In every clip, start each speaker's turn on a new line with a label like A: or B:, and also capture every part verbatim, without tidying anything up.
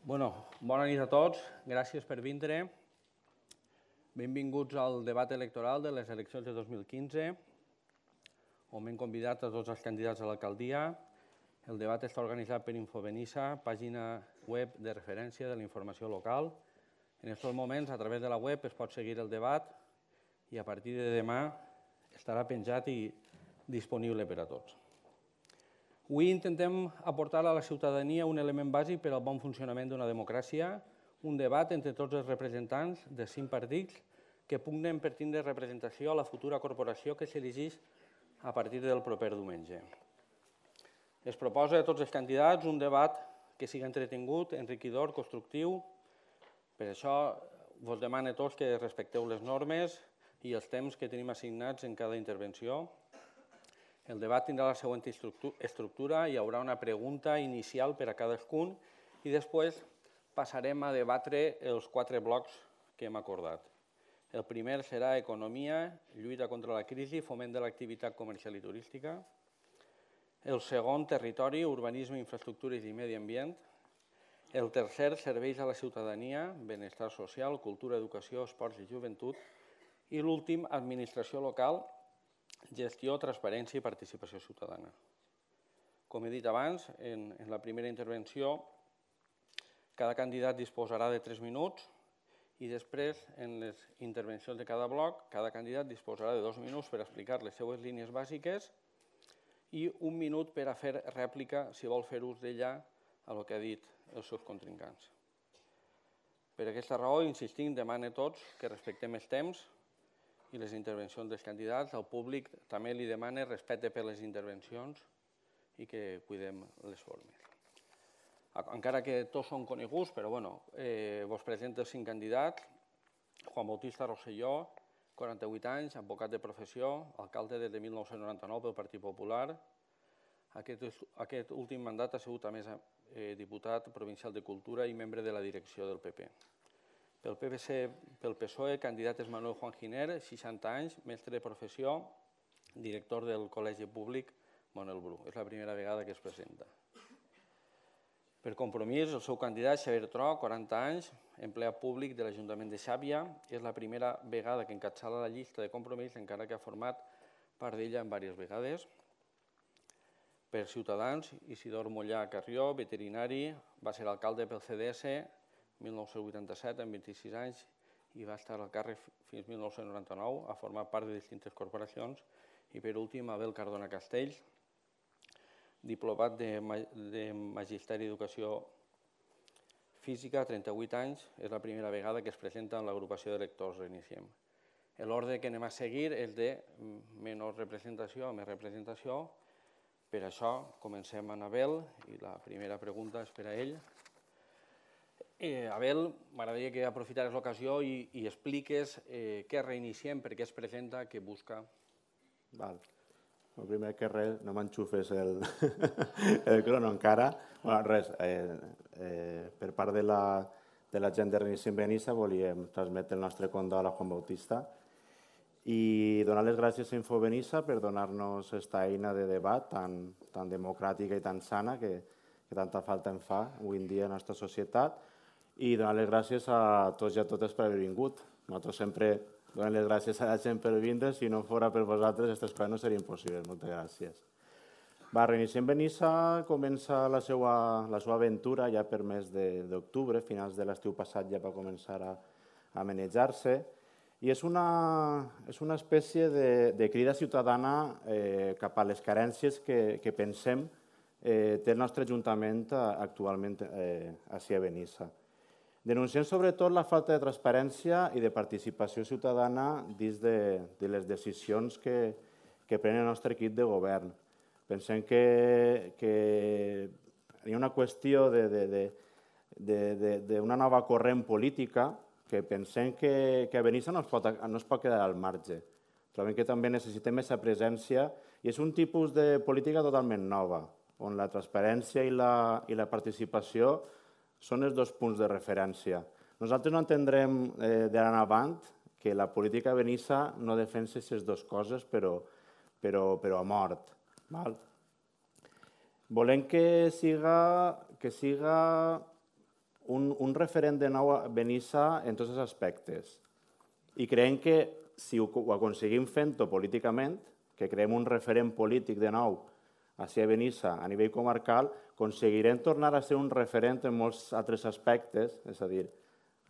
A: Bueno, bona nit a tots, gràcies per vindre. Benvinguts al debat electoral de les eleccions de dos mil quinze, on m'hem convidat a tots els candidats a l'alcaldia. El debat està organitzat per Infobenissa, pàgina web de referència de la informació local. En aquests moments, a través de la web, es pot seguir el debat i a partir de demà estarà penjat i disponible per a tots. Avui intentem aportar a la ciutadania un element bàsic per al bon funcionament d'una democràcia, un debat entre tots els representants de cinc partits que pugnen per tindre representació a la futura corporació que s'elegeix a partir del proper diumenge. Es proposa a tots els candidats un debat que sigui entretingut, enriquidor, constructiu. Per això vos demano a tots que respecteu les normes i els temps que tenim assignats en cada intervenció. El debat tindrà la següent estructura, hi haurà una pregunta inicial per a cadascun i després passarem a debatre els quatre blocs que hem acordat. El primer serà economia, lluita contra la crisi, foment de l'activitat comercial i turística. El segon, territori, urbanisme, infraestructures i medi ambient. El tercer, serveis a la ciutadania, benestar social, cultura, educació, esports i joventut. I l'últim, administració local, gestió, transparència i participació ciutadana. Com he dit abans, en la primera intervenció, cada candidat disposarà de tres minuts i després, en les intervencions de cada bloc, cada candidat disposarà de dos minuts per explicar les seues línies bàsiques i un minut per a fer rèplica, si vol fer ús d'ella, a el que ha dit els seus contrincants. Per aquesta raó, insistim, demano a tots que respectem els temps i les intervencions dels candidats. Al públic també li demana respecte per les intervencions i que cuidem les formes. Encara que tots són coneguts, però bueno, vos presento els cinc candidats. Juan Bautista Rosselló, quaranta-vuit anys, advocat de professió, alcalde des de mil nou-cents noranta-nou pel Partit Popular. Aquest últim mandat ha sigut, a més, diputat provincial de Cultura i membre de la direcció del P P. Pel P P S O E, candidat és Manuel Juan Giner, seixanta anys, mestre de professió, director del Col·legi Públic Manuel Bru. És la primera vegada que es presenta. Per Compromís, el seu candidat, Xavier Tro, quaranta anys, empleat públic de l'Ajuntament de Xàbia. És la primera vegada que encapçala la llista de Compromís, encara que ha format part d'ella en diverses vegades. Per Ciutadans, Isidor Mollà Carrió, veterinari, va ser alcalde pel C D S mil nou-cents vuitanta-set, amb vint-i-sis anys, i va estar al càrrec fins mil nou-cents noranta-nou, ha format part de distintes corporacions. I per últim, Abel Cardona Castells, diplomat de Magisteri d'Educació Física, trenta-vuit anys, és la primera vegada que es presenta en l'agrupació d'electors Reiniciem. L'ordre que anem a seguir és de menor representació a més representació. Per això comencem amb Abel i la primera pregunta és per a ell. Abel, m'agradaria que aprofitares l'ocasió i expliques què reiniciem, per què es presenta, què busca.
B: Val. El primer que res, no m'enxufes el crono encara. Res, per part de la gent de Reiniciem Benissa volíem transmetre el nostre condol a Juan Bautista i donar les gràcies a Infobenissa per donar-nos aquesta eina de debat tan democràtica i tan sana que tanta falta en fa avui en dia a la nostra societat. I donar les gràcies a tots i a totes per haver vingut. Nosaltres sempre donem les gràcies a la gent per vindre. Si no fos per vosaltres, aquestes coses no serien possibles. Moltes gràcies. Reiniciem Benissa comença la seva aventura ja per mes d'octubre, finals de l'estiu passat ja va començar a manejar-se. I és una espècie de crida ciutadana cap a les carències que pensem té el nostre Ajuntament actualment ací a Benissa. Denunciem sobretot la falta de transparència i de participació ciutadana dins de les decisions que pren el nostre equip de govern. Pensem que hi ha una qüestió d'una nova corrent política que pensem que a Benissa no es pot quedar al marge. Trobem que també necessitem aquesta presència i és un tipus de política totalment nova, on la transparència i la participació són els dos punts de referència. Nosaltres no entendrem d'ara en avant que la política a Benissa no defensa aquestes dues coses, però a mort. Volem que siga un, un referent de nou a Benissa en tots els aspectes. I creiem que si ho, ho aconseguim fent-ho políticament, que creem un referent polític de nou a Benissa a nivell comarcal, aconseguirem tornar a ser un referent en molts altres aspectes, és a dir,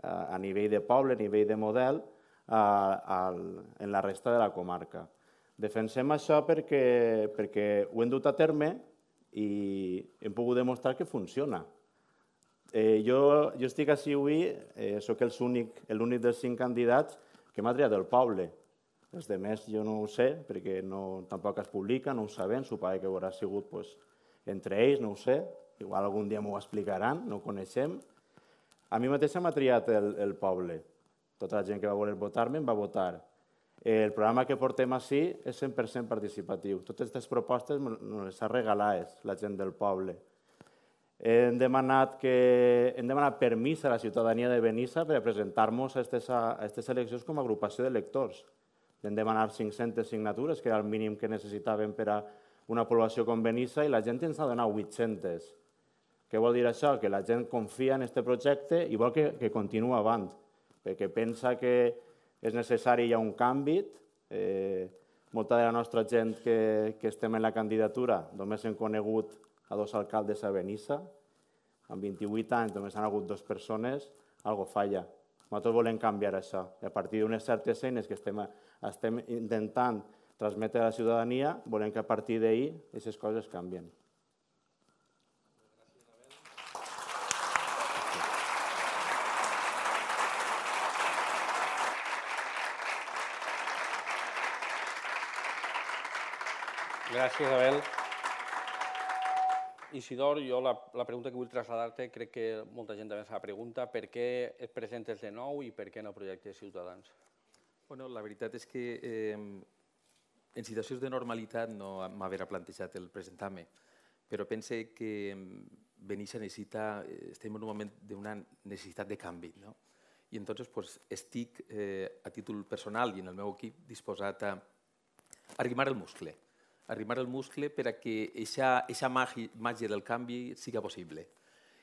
B: a nivell de poble, a nivell de model, a, a, en la resta de la comarca. Defensem això perquè, perquè ho hem dut a terme i hem pogut demostrar que funciona. Eh, jo, jo estic així avui, eh, soc l'únic dels cinc candidats que m'ha triat el poble. Els altres jo no ho sé, perquè no, tampoc es publica, no ho sabem, suposo que haurà sigut pues, entre ells, no ho sé, igual algun dia m'ho explicaran, no ho coneixem. A mi mateixa m'ha triat el, el poble. Tota la gent que va voler votar-me em va votar. El programa que portem així és cent per cent participatiu. Totes aquestes propostes ens les ha regalat la gent del poble. Hem demanat, que, hem demanat permís a la ciutadania de Benissa per presentar-nos a aquestes eleccions com a agrupació d'electors. Hem demanat cinc-centes signatures, que era el mínim que necessitàvem per a una població com Benissa, i la gent ens ha donat vuit-centes. Què vol dir això? Que la gent confia en aquest projecte i vol que, que continuï avant, perquè pensa que és necessari ja un canvi. Eh, molta de la nostra gent que, que estem en la candidatura només hem conegut a dos alcaldes a Benissa. Amb vint-i-vuit anys només han hagut dues persones, algo falla. Nosaltres volem canviar això. I a partir d'unes certes eines que estem, estem intentant transmetre a la ciutadania, volem que a partir d'ahir aquestes coses canvien.
A: Gràcies, Abel. Isidor, jo la, la pregunta que vull traslladar-te, crec que molta gent també s'ha preguntat, per què et presentes de nou i per què no projectes Ciutadans?
C: Bueno, la veritat és que eh, en situacions de normalitat no m'haver plantejat el presentar-me, però pense que Benissa necessita, estem en un moment d'una necessitat de canvi, no? I entonces pues, estic eh, a títol personal i en el meu equip disposat a arrimar el muscle, arrimar el muscle per a que aquesta màgia del canvi siga possible.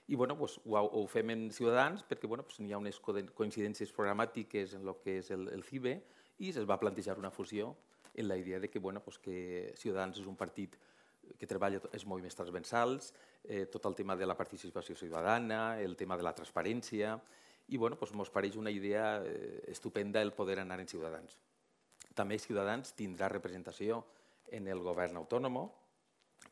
C: I bueno, pues, ho, ho fem en Ciutadans perquè bueno, pues, hi ha unes coincidències programàtiques en el que és el, el C I B E i es va plantejar una fusió en la idea de que, bueno, pues, que Ciutadans és un partit que treballa els moviments transversals, eh, tot el tema de la participació ciutadana, el tema de la transparència, i bueno, pues, ens pareix una idea eh, estupenda el poder anar en Ciutadans. També Ciutadans tindrà representació en el govern autònom,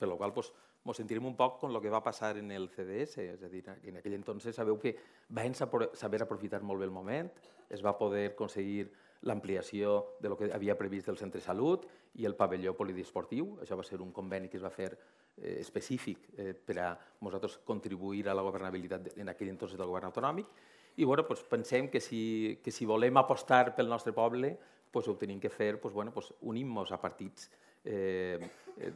C: per la qual pues, ens sentirem un poc com el que va passar en el C D S, és a dir, en aquell entonces sabeu que vam saber aprofitar molt bé el moment, es va poder aconseguir l'ampliació de lo que havia previst del centre de salut i el pavelló poliesportiu. Això va ser un conveni que es va fer eh, específic eh, per a nosaltres contribuir a la governabilitat en aquell entonces del govern autonòmic. I bueno, pues, pensem que si, que si volem apostar pel nostre poble, pues, ho tenim que fer pues, bueno, pues, unint-nos a partits eh, eh,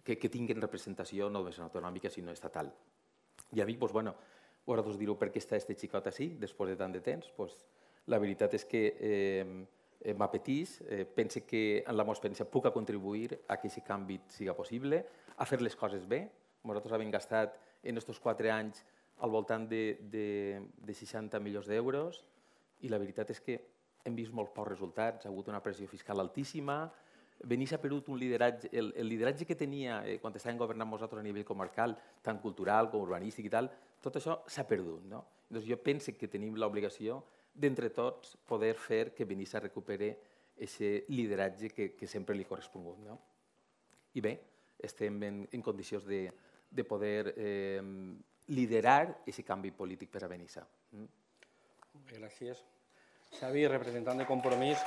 C: que, que tinguin representació no només autonòmica, sinó estatal. I a mi, pues, bueno, vosaltres direu per què està este xicot així, després de tant de temps. Pues, la veritat és que eh, m'apetís, eh, pense que en la meva experiència puc contribuir a que aquest canvi siga possible, a fer les coses bé. Nosaltres hem gastat en aquests quatre anys al voltant de, de, de seixanta milions d'euros i la veritat és que hem vist molts pocs resultats, ha hagut una pressió fiscal altíssima, Benissa ha perdut un lideratge, el, el lideratge que tenia eh, quan estàvem governant nosaltres a nivell comarcal, tant cultural com urbanístic i tal, tot això s'ha perdut. No? Doncs jo penso que tenim l'obligació d'entre tots poder fer que Benissa recupere aquest lideratge que, que sempre li ha correspongut. No? I bé, estem en, en condicions de, de poder eh, liderar aquest canvi polític per a Benissa. Mm?
A: Gràcies. Xavi, representant de Compromís.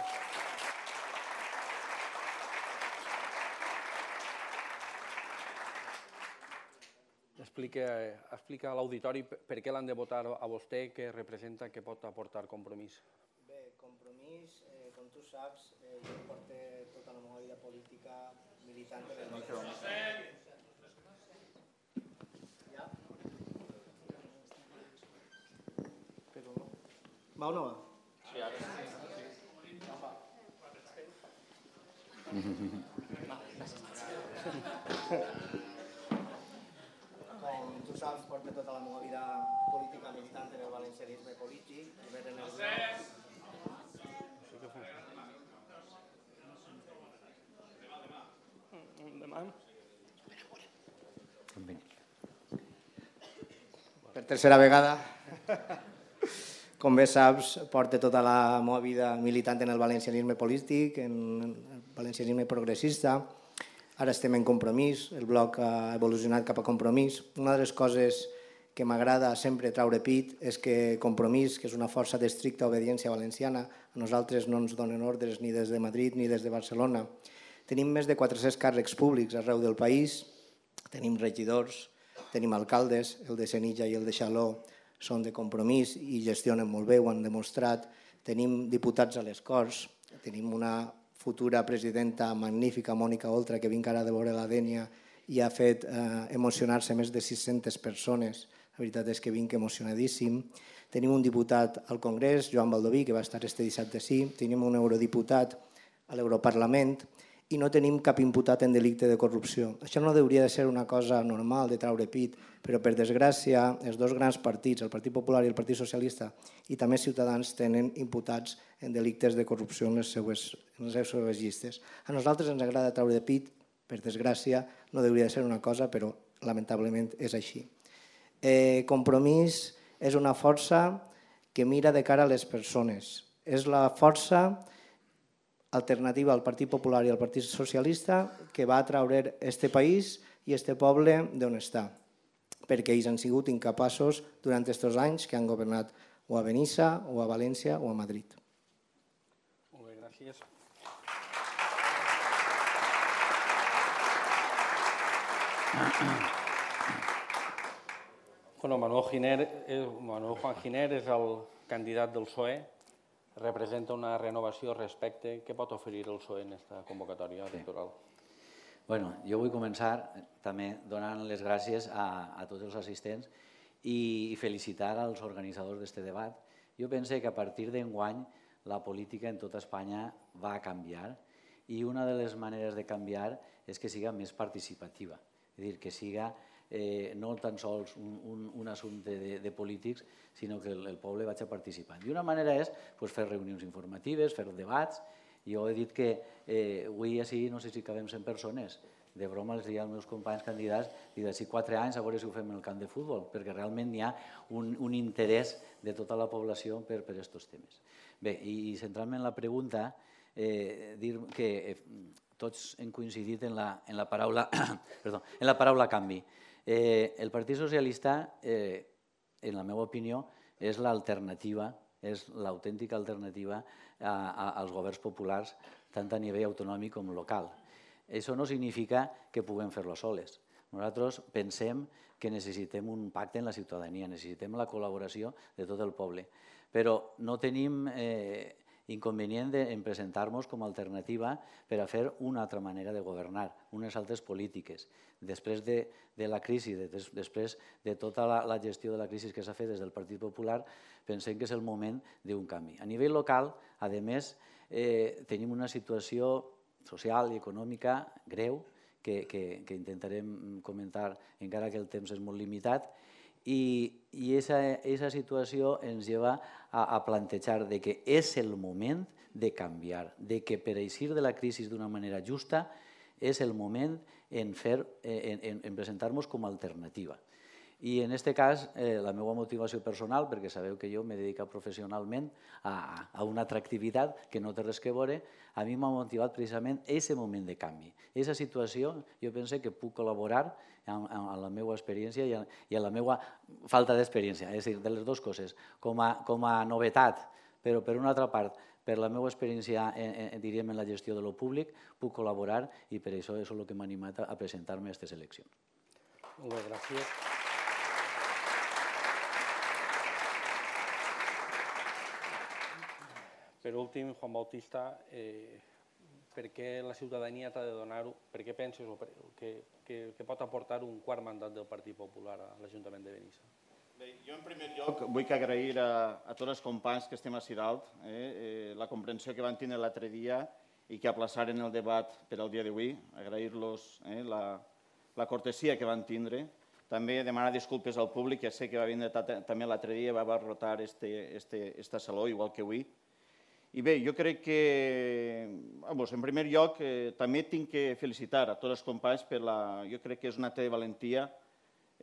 A: Explica, explica a l'auditori per què l'han de votar a vostè, què representa, què pot aportar Compromís.
D: Bé, Compromís, eh, com tu saps, eh, jo porto tota la meva vida política militant en el nostre país. Ja? Però no. Va o no va? Sí, ara sí. No va. Va, gràcies. Com tu saps, porto tota la meva vida política militant en per tercera vegada. Com bé saps, porto tota la meva vida militant en el valencianisme polític, en el valencianisme progressista. Ara estem en Compromís, el bloc ha evolucionat cap a Compromís. Una de les coses que m'agrada sempre traure pit és que Compromís, que és una força d'estricta obediència valenciana, a nosaltres no ens donen ordres ni des de Madrid ni des de Barcelona. Tenim més de quatre-cents càrrecs públics arreu del país, tenim regidors, tenim alcaldes, el de Senija i el de Xaló són de Compromís i gestionen molt bé, ho han demostrat. Tenim diputats a les Corts, tenim una futura presidenta magnífica, Mònica Oltra, que vinc ara de veure la Dénia i ha fet eh, emocionar-se més de sis-centes persones. La veritat és que vinc emocionadíssim. Tenim un diputat al Congrés, Joan Baldoví, que va estar este dissabte sí. Tenim un eurodiputat a l'Europarlament i no tenim cap imputat en delicte de corrupció. Això no hauria de ser una cosa normal de traure pit, però per desgràcia els dos grans partits, el Partit Popular i el Partit Socialista, i també Ciutadans, tenen imputats en delictes de corrupció en les seues, en les seues llistes. A nosaltres ens agrada traure de pit, per desgràcia, no hauria de ser una cosa, però lamentablement és així. Eh, Compromís és una força que mira de cara a les persones. És la força alternativa al Partit Popular i al Partit Socialista que va traure este país i este poble d'on està, perquè ells han sigut incapaços durant aquests anys que han governat o a Benissa, o a València, o a Madrid.
A: Molt bé, gràcies. Bueno, Manuel Giner, Manuel Juan Giner és el candidat del P S O E, representa una renovació respecte. Què pot oferir el P S O E en aquesta convocatòria electoral?
E: Bueno, jo vull començar també donant les gràcies a, a tots els assistents i, i felicitar als organitzadors d'aquest debat. Jo penso que a partir d'enguany la política en tota Espanya va canviar i una de les maneres de canviar és que siga més participativa, és a dir, que siga eh, no tan sols un, un, un assumpte de, de polítics, sinó que el, el poble vagi participant. I una manera és pues, fer reunions informatives, fer debats. Jo he dit que eh, avui així no sé si cabem cent persones. De broma els diria als meus companys candidats i d'ací quatre anys a veure si ho fem en el camp de futbol, perquè realment hi ha un, un interès de tota la població per aquests temes. Bé, i, i centrant-me en la pregunta, eh, dir que eh, tots hem coincidit en la, en la, paraula, perdó, en la paraula canvi. Eh, el Partit Socialista, eh, en la meva opinió, és l'alternativa, és l'autèntica alternativa a, a, als governs populars, tant a nivell autonòmic com local. Això no significa que puguem fer-lo soles. Nosaltres pensem que necessitem un pacte en la ciutadania, necessitem la col·laboració de tot el poble, però no tenim eh, inconvenient en presentar-nos com a alternativa per a fer una altra manera de governar, unes altres polítiques. Després de, de la crisi, de, des, després de tota la, la gestió de la crisi que s'ha fet des del Partit Popular, pensem que és el moment d'un canvi. A nivell local, a més, eh, tenim una situació social i econòmica greu que, que, que intentarem comentar encara que el temps és molt limitat i aquesta situació ens lleva a, a plantejar de que és el moment de canviar, de que per eixir de la crisi d'una manera justa és el moment en, fer, en, en, en presentar-nos com a alternativa. I en aquest cas, eh, la meva motivació personal, perquè sabeu que jo m'he dedicat professionalment a, a una atractivitat que no té res que veure, a mi m'ha motivat precisament aquest moment de canvi. Aquesta situació, jo penso que puc col·laborar amb, amb la meva experiència i a, i a la meva falta d'experiència, és a dir, de les dues coses, com a, com a novetat, però per una altra part, per la meva experiència, eh, eh, diríem, en la gestió de lo públic, puc col·laborar i per això és el que m'ha animat a, a presentar-me a aquestes eleccions.
A: Molt bé, gràcies. Per últim, Juan Bautista, eh, per què la ciutadania t'ha de donar, per què penses o per, que, que, que pot aportar un quart mandat del Partit Popular a l'Ajuntament de Benissa?
F: Bé, jo en primer lloc vull agrair a, a tots els companys que estem així dalt eh, eh, la comprensió que van tenir l'altre dia i que aplaçaren el debat per al dia d'avui, agrair-los eh, la, la cortesia que van tindre. També demanar disculpes al públic, que sé que va vindre també l'altre dia i va abarrotar este, este, esta saló, igual que avui. I bé, jo crec que, vamos, en primer lloc, eh, també tinc que felicitar a tots els companys per la, jo crec que és un acte de valentia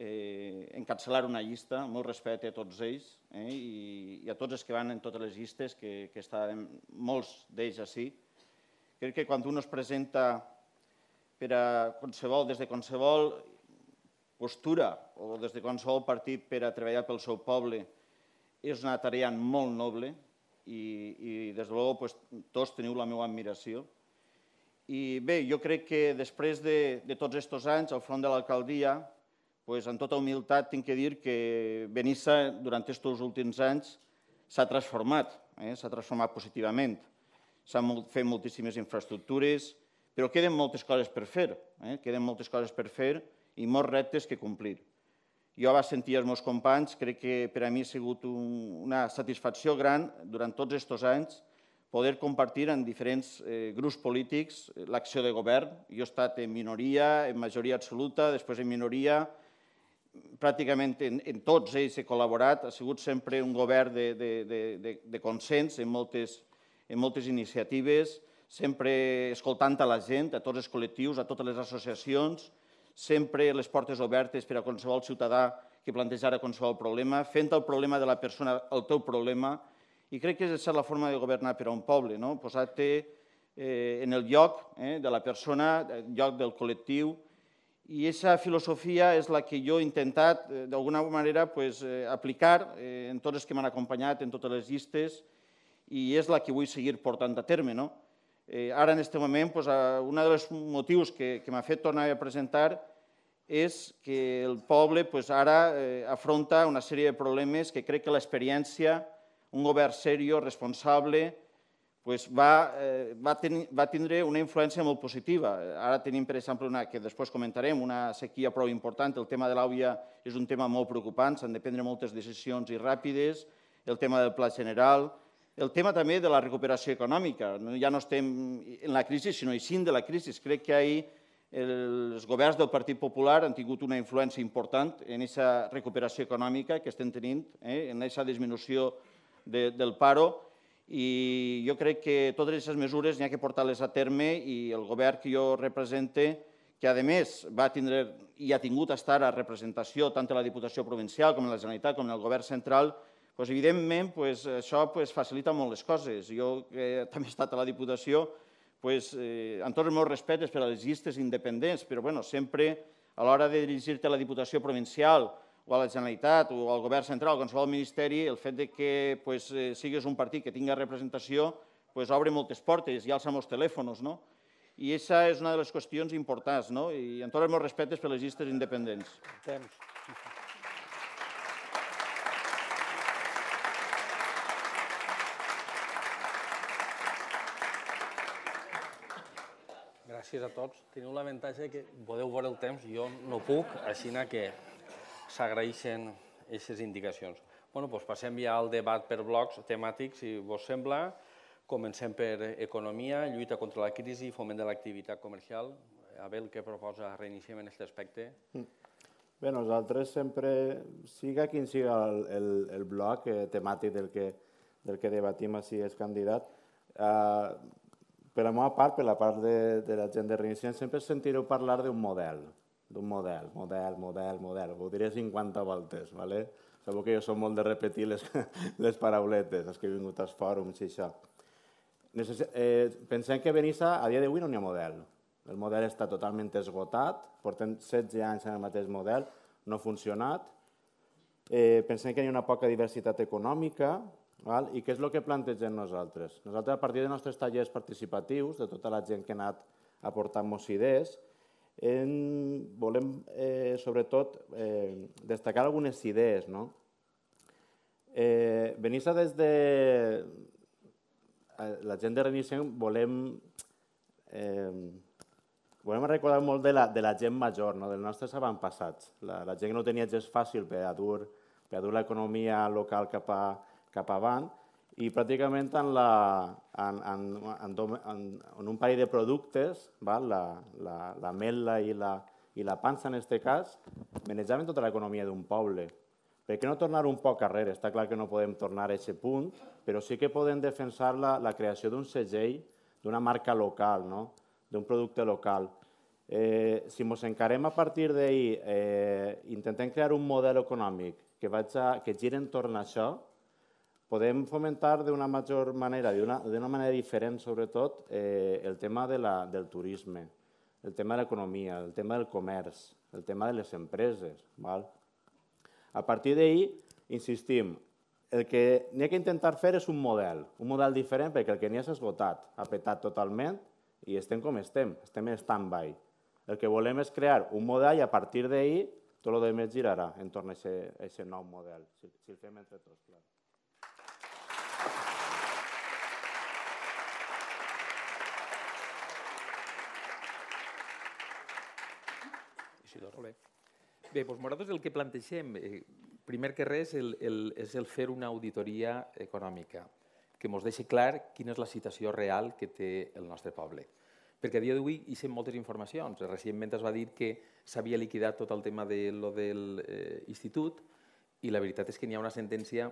F: encapçalar una llista, molt respecte a tots ells i a tots els que van en totes les llistes, que estan molts d'ells així. Crec que quan un es presenta per a qualsevol, des de qualsevol postura o des de qualsevol partit per a treballar pel seu poble, és una tarea molt noble i, des de luego, tots teniu la meva admiració. I bé, jo crec que després de tots aquests anys al front de l'alcaldia, amb tota humilitat tinc que dir que Benissa durant aquests últims anys s'ha transformat, s'ha transformat positivament. S'han fet moltíssimes infraestructures, però queden moltes coses per fer, queden moltes coses per fer i molts reptes que complir. Jo vaig sentir els meus companys, crec que per a mi ha sigut una satisfacció gran durant tots aquests anys poder compartir en diferents grups polítics l'acció de govern. Jo he estat en minoria, en majoria absoluta, després en minoria, pràcticament en tots ells he col·laborat, ha sigut sempre un govern de consens en moltes iniciatives, sempre escoltant a la gent, a tots els col·lectius, a totes les associacions, sempre les portes obertes per a qualsevol ciutadà que plantejara qualsevol problema, fent el problema de la persona el teu problema, i crec que és la forma de governar per a un poble, posar-te en el lloc de la persona, en el lloc del col·lectiu, i aquesta filosofia és la que jo he intentat, d'alguna manera, aplicar en tots els que m'han acompanyat, en totes les llistes, i és la que vull seguir portant a terme. Ara, en aquest moment, un dels motius que m'ha fet tornar a presentar és que el poble ara afronta una sèrie de problemes que crec que l'experiència, un govern seriós, responsable, va tindre una influència molt positiva. Ara tenim, per exemple, que després comentarem, una sequia prou important. El tema de l'Àvia és un tema molt preocupant, s'han de prendre moltes decisions i ràpides, el tema del Pla General, el tema també de la recuperació econòmica. Ja no estem en la crisi, sinó eixint de la crisi. Crec que ahir els governs del Partit Popular han tingut una influència important en aquesta recuperació econòmica que estem tenint, en aquesta disminució del paro, i jo crec que totes aquestes mesures n'hi ha que portar-les a terme i el govern que jo represente, que a més va tindre i ha tingut estar a representació tant a la Diputació Provincial com a la Generalitat com en el govern central, evidentment això facilita molt les coses. Jo que també he estat a la Diputació, amb tots els meus respectes per a les llistes independents, però sempre a l'hora de dirigir-te a la Diputació Provincial o a la Generalitat o al govern central o a qualsevol ministeri, el fet que siguis un partit que tingui representació obre moltes portes i alça molts telèfons. I aquesta és una de les qüestions importants, i amb tots els meus respectes per a les llistes independents.
A: Gràcies a tots. Teniu l'avantatge que podeu veure el temps, jo no puc, així que s'agraeixen aquestes indicacions. Doncs passem ja al debat per blocs temàtics, si vos sembla. Comencem per economia, lluita contra la crisi i foment de l'activitat comercial. Abel, què proposa? Reiniciem en aquest aspecte.
B: Bé, nosaltres sempre, siga quin siga el bloc temàtic del que debatim si és candidat, per la meva part, per la part de la gent de Reiniciem, sempre sentireu parlar d'un model, d'un model, model, model, model. Ho diré cinquanta voltes, d'acord? Sabeu que jo som molt de repetir les parauletes, els que he vingut als fòrums i això. Pensem que a Benissa a dia d'avui no n'hi ha model. El model està totalment esgotat, portem setze anys en el mateix model, no ha funcionat. Pensem que hi ha una poca diversitat econòmica. I què és el que plantegem nosaltres? Nosaltres, a partir dels nostres tallers participatius, de tota la gent que ha anat aportant-nos idees, volem, sobretot, destacar algunes idees. Benissa, des de la gent de Reiniciem, volem recordar molt de la gent major, dels nostres avantpassats, la gent que no tenia gest fàcil per a dur l'economia local cap a cap avant, i pràcticament en un parell de productes, l'ametla i la pansa en aquest cas, manejaven tota l'economia d'un poble. Per què no tornar un poc arrere? Està clar que no podem tornar a aquest punt, però sí que podem defensar la creació d'un segell, d'una marca local, d'un producte local. Eh, si ens encarem a partir d'ahir, eh, intentem crear un model econòmic que, vaig a, que giri entorn a això, podem fomentar d'una major manera, d'una manera diferent, sobretot, eh, el tema de la, del turisme, el tema de l'economia, el tema del comerç, el tema de les empreses. Val? A partir d'ahir, insistim, el que n'hi ha que intentar fer és un model, un model diferent perquè el que n'hi ha s'ha esgotat, ha petat totalment i estem com estem, estem en stand-by. El que volem és crear un model i a partir d'ahir tot el que girarà entorn a aquest nou model, si, si el fem entre tots, clar.
C: Bé, doncs nosaltres el que plantegem, eh, primer que res, el, el, és el fer una auditoria econòmica que ens deixi clar quina és la situació real que té el nostre poble. Perquè a dia d'avui hi sem moltes informacions. Recentment es va dir que s'havia liquidat tot el tema de lo del eh, institut i la veritat és que n'hi ha una sentència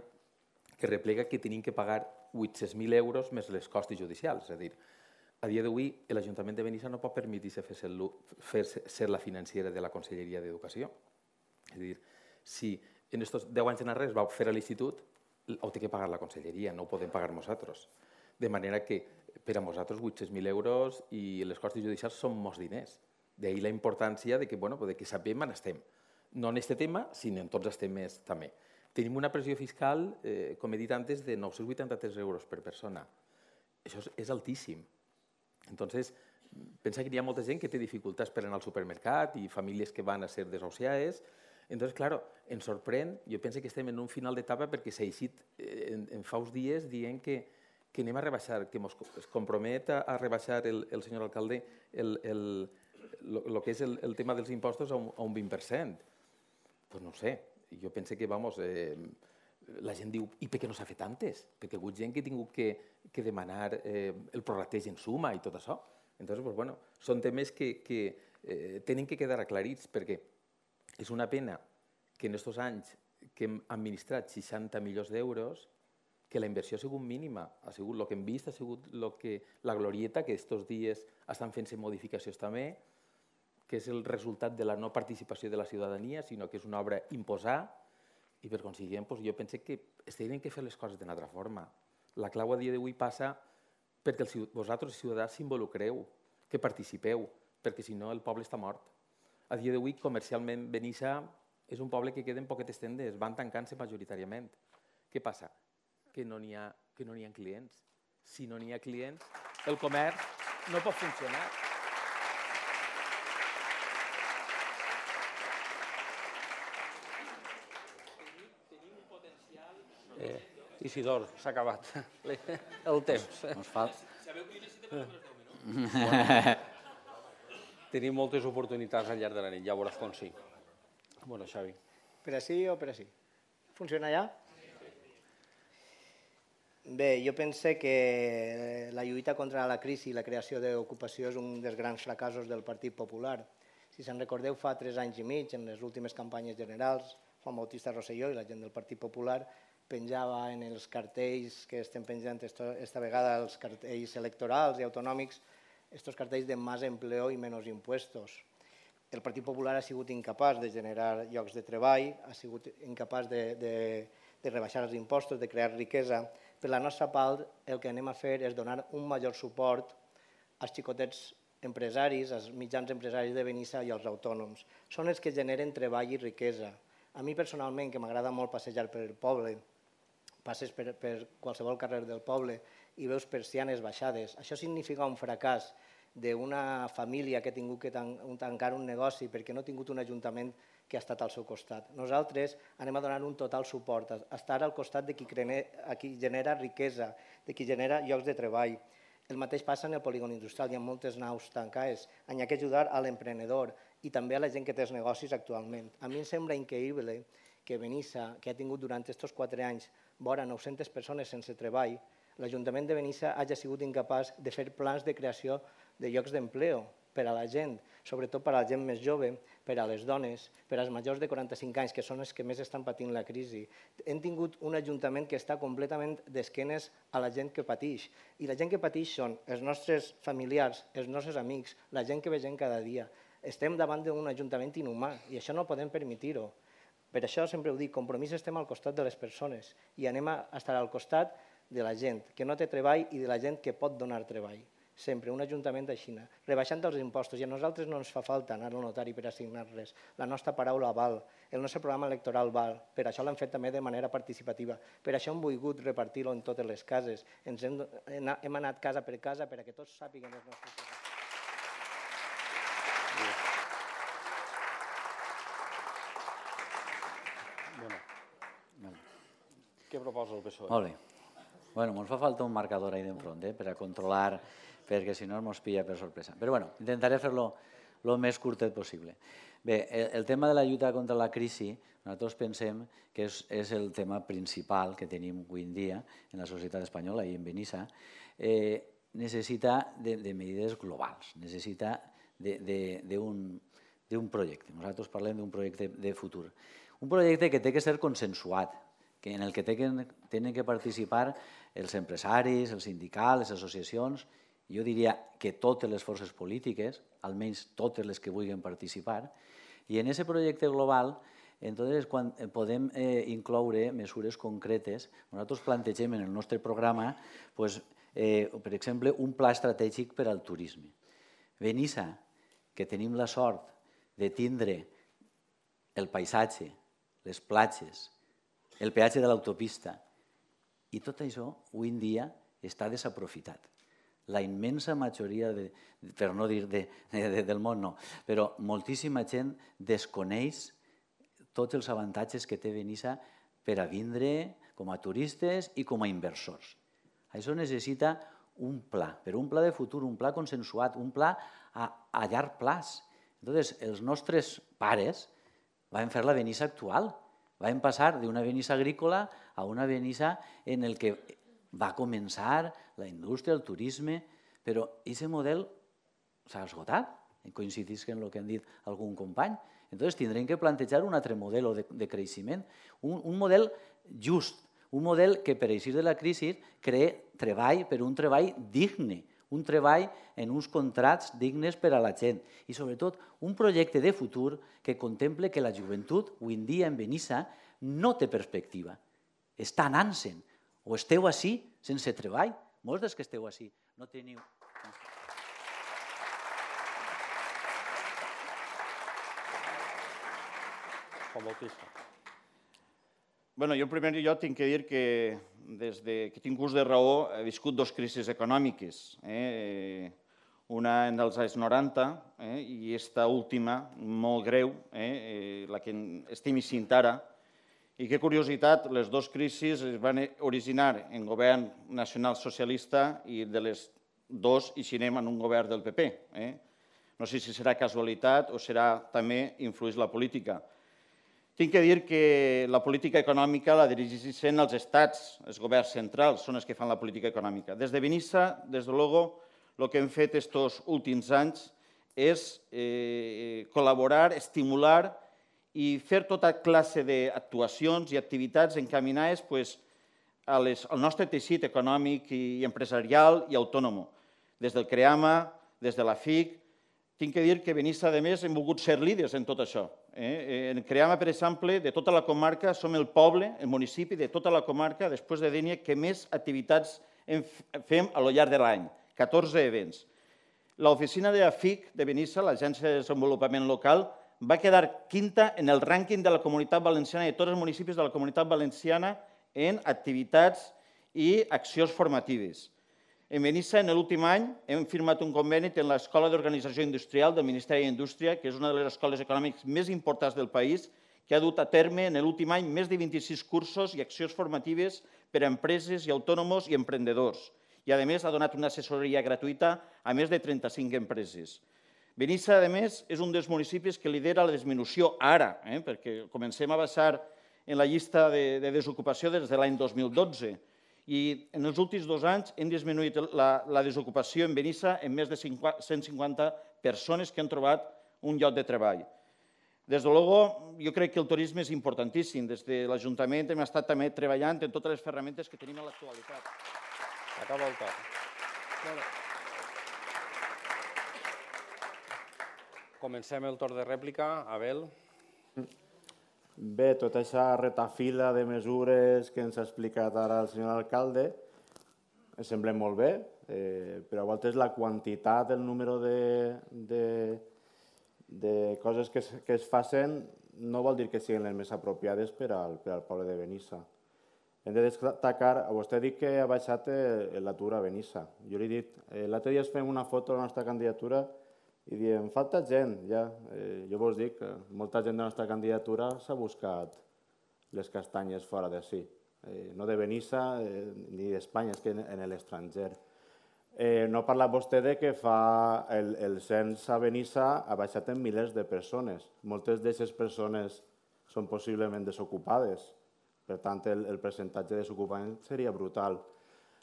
C: que replega que tenim que pagar vuit-cents mil euros més les costes judicials. És a dir, a dia d'avui l'Ajuntament de Benissa no pot permetre-se fer, ser, fer ser la financera de la Conselleria d'Educació. És a dir, si en aquests deu anys enrere es va fer a l'institut, ho té que pagar la Conselleria, no ho podem pagar nosaltres. De manera que per a nosaltres vuit-cents mil euros i les costes judicials són molts diners. D'ahir la importància de que, bueno, de que sapem on estem. No en aquest tema, sinó en tots els temes també. Tenim una pressió fiscal, eh, com he dit antes, de nou-cents vuitanta-tres euros per persona. Això és, és altíssim. Entonces, pensa que hi ha molta gent que té dificultats per anar al supermercat i famílies que van a ser desahuciades. Entonces, claro, ens sorprèn, jo penso que estem en un final d'etapa perquè s'ha eixit eh, en, en fa uns dies dient que que anem a rebaixar, que es compromet a, a rebaixar el, el senyor alcalde el, el, lo, lo que és el, el tema dels impostos a un, a un vint per cent. Pues no ho sé, jo penso que, vamos, eh, la gent diu, i per què no s'ha fet antes? Perquè hi ha hagut gent que ha tingut que, que demanar eh, el prorrateig en suma i tot això. Entonces, pues, bueno, són temes que, que eh, tenen que quedar aclarits perquè és una pena que en aquests anys que hem administrat seixanta milions d'euros que la inversió ha sigut mínima, ha sigut el que hem vist, ha sigut lo que, la glorieta, que aquests dies estan fent-se modificacions també, que és el resultat de la no participació de la ciutadania, sinó que és una obra imposar, i per consiguient doncs, jo penso que es tenen que fer les coses d'una altra forma. La clau a dia d'avui passa perquè el, vosaltres, ciutadans, s'involucreu, que participeu, perquè si no el poble està mort. A dia d'avui, comercialment, Benissa és un poble que queden poquetes tendes, van tancant-se majoritàriament. Què passa? Que no n'hi ha, que no n'hi ha clients. Si no n'hi ha clients, el comerç no pot funcionar.
A: Eh, Isidor, s'ha acabat el temps.
E: Ens falta.
A: Tenim moltes oportunitats al llarg de la nit, ja veuràs com sí. Bueno, Xavi.
D: Per així o per així? Funciona ja? Bé, jo penso que la lluita contra la crisi i la creació d'ocupació és un dels grans fracassos del Partit Popular. Si se'n recordeu, fa tres anys i mig, en les últimes campanyes generals, Juan Bautista Rosselló i la gent del Partit Popular penjava en els cartells que estem penjant esta vegada, els cartells electorals i autonòmics, estos cartells de més empleo i menys impuestos. El Partit Popular ha sigut incapaç de generar llocs de treball, ha sigut incapaç de, de, de rebaixar els impostos, de crear riquesa. Per la nostra part, el que anem a fer és donar un major suport als xicotets empresaris, als mitjans empresaris de Benissa i als autònoms. Són els que generen treball i riquesa. A mi personalment, que m'agrada molt passejar per el poble, passes per, per qualsevol carrer del poble i veus persianes baixades. Això significa un fracàs d'una família que ha tingut que tancar un negoci perquè no ha tingut un ajuntament que ha estat al seu costat. Nosaltres anem a donar un total suport, a estar al costat de qui, qui genera riquesa, de qui genera llocs de treball. El mateix passa en el polígon industrial, hi ha moltes naus tancades. Hi ha que ajudar a l'emprenedor i també a la gent que té els negocis actualment. A mi em sembla increïble que Benissa, que ha tingut durant aquests quatre anys vora nou-centes persones sense treball, l'Ajuntament de Benissa hagi sigut incapaç de fer plans de creació de llocs d'empleo, per a la gent, sobretot per a la gent més jove, per a les dones, per als majors de quaranta-cinc anys, que són els que més estan patint la crisi. Hem tingut un ajuntament que està completament d'esquenes a la gent que pateix. I la gent que pateix són els nostres familiars, els nostres amics, la gent que vegem cada dia. Estem davant d'un ajuntament inhumà i això no podem permetir-ho. Per això sempre ho dic, Compromís estem al costat de les persones i anem a estar al costat de la gent que no té treball i de la gent que pot donar treball. Sempre, un ajuntament d'Aixina, rebaixant els impostos, i a nosaltres no ens fa falta anar al notari per assignar res. La nostra paraula val, el nostre programa electoral val, per això l'hem fet també de manera participativa, per això hem volgut repartir-lo en totes les cases, ens hem, hem anat casa per casa perquè tots sàpiguen els nostres programes.
A: Què proposa el P S O E?
E: Molt bé. Bueno, ens fa falta un marcador ahí d'enfront, eh, per a controlar, perquè si no ens pilla per sorpresa. Però bueno, intentaré fer-lo el més curtet possible. Bé, el, el tema de la lluita contra la crisi, nosaltres pensem que és, és el tema principal que tenim avui en dia en la societat espanyola i en Benissa. Eh, necessita de, de medides globals, necessita d'un projecte. Nosaltres parlem d'un projecte de futur. Un projecte que té que ser consensuat, que en el que tenen que participar els empresaris, els sindicals, les associacions, jo diria que totes les forces polítiques, almenys totes les que vulguin participar, i en aquest projecte global entonces, quan podem eh, incloure mesures concretes. Nosaltres plantegem en el nostre programa, pues, eh, per exemple, un pla estratègic per al turisme. Benissa, que tenim la sort de tindre el paisatge, les platges, el peatge de l'autopista, i tot això avui en dia està desaprofitat. La immensa majoria, de, per no dir de, de, del món, no, però moltíssima gent desconeix tots els avantatges que té Benissa per a vindre com a turistes i com a inversors. Això necessita un pla, però un pla de futur, un pla consensuat, un pla a, a llarg plaç. Entonces, els nostres pares van fer la Benissa actual. Vam passar d'una Benissa agrícola a una Benissa en el que va començar la indústria, el turisme, però aquest model s'ha esgotat, coincidís en el que han dit algun company. Entonces tindrem que plantejar un altre model de, de creixement, un, un model just, un model que per eixir de la crisi cree treball, però un treball digne, un treball en uns contrats dignes per a la gent i, sobretot, un projecte de futur que contemple que la joventut, avui en dia en Benissa, no té perspectiva. Està anant-se'n. O esteu així sense treball. Molts dels que esteu així no teniu...
A: Juan Bautista.
F: Bueno, jo en primer lloc tinc que dir que des que tinc ús de raó he viscut dues crisis econòmiques. Eh? Una en els anys noranta eh? i aquesta última, molt greu, eh? la que estem vivint ara. I que curiositat, les dues crisis es van originar en govern nacional socialista i de les dues eixirem en un govern del P P. Eh? No sé si serà casualitat o serà també influeix la política. Tinc que dir que la política econòmica la dirigeixen els estats, els governs centrals, són els que fan la política econòmica. Des de Benissa, des de luego, el que hem fet aquests últims anys és eh, col·laborar, estimular i fer tota classe d'actuacions i activitats encaminades pues, a les, al nostre teixit econòmic i empresarial i autònom. Des del CREAMA, des de la F I C, tinc que dir que Benissa, a més, hem volgut ser líders en tot això. Eh? En CREAMA, per exemple, de tota la comarca, som el poble, el municipi de tota la comarca, després de Dénia, que més activitats fem a lo llarg de l'any, catorze events. L'oficina de la F I C de Benissa, l'Agència de Desenvolupament Local, va quedar quinta en el rànquing de la Comunitat Valenciana i de tots els municipis de la Comunitat Valenciana en activitats i accions formatives. En Benissa, en l'últim any, hem firmat un conveni amb l'Escola d'Organització Industrial del Ministeri d'Indústria, que és una de les escoles econòmiques més importants del país, que ha dut a terme en l'últim any més de vint-i-sis cursos i accions formatives per a empreses i autònoms i emprendedors. I, a més, ha donat una assessoria gratuïta a més de trenta-cinc empreses. Benissa, a més, és un dels municipis que lidera la disminució ara, eh? perquè comencem a baixar en la llista de, de desocupació des de l'any dos mil dotze. I en els últims dos anys hem disminuït la, la desocupació en Benissa en més de cent cinquanta persones que han trobat un lloc de treball. Des de luego, jo crec que el turisme és importantíssim. Des de l'Ajuntament hem estat també treballant en totes les ferramentes que tenim a l'actualitat.
A: Acaba el torn. Comencem el torn de rèplica. Abel.
B: Bé, tota aquesta retafila de mesures que ens ha explicat ara el senyor alcalde em sembla molt bé, eh, però a voltes la quantitat, el número de, de, de coses que es, que es facin no vol dir que siguin les més apropiades per al, per al poble de Benissa. Hem de destacar, vostè ha dit que ha baixat l'atur a Benissa. Jo li he dit, eh, l'altre dia es fem una foto de la nostra candidatura i diem, falta gent, ja. Eh, jo vos dic que molta gent de la nostra candidatura s'ha buscat les castanyes fora de si. Eh, no de Benissa eh, ni d'Espanya, és que en, en l'estranger. Eh, no ha parlat vostè de que fa el, el cens a Benissa ha baixat en milers de persones. Moltes d'aquestes persones són possiblement desocupades. Per tant, el, el percentatge de desocupament seria brutal.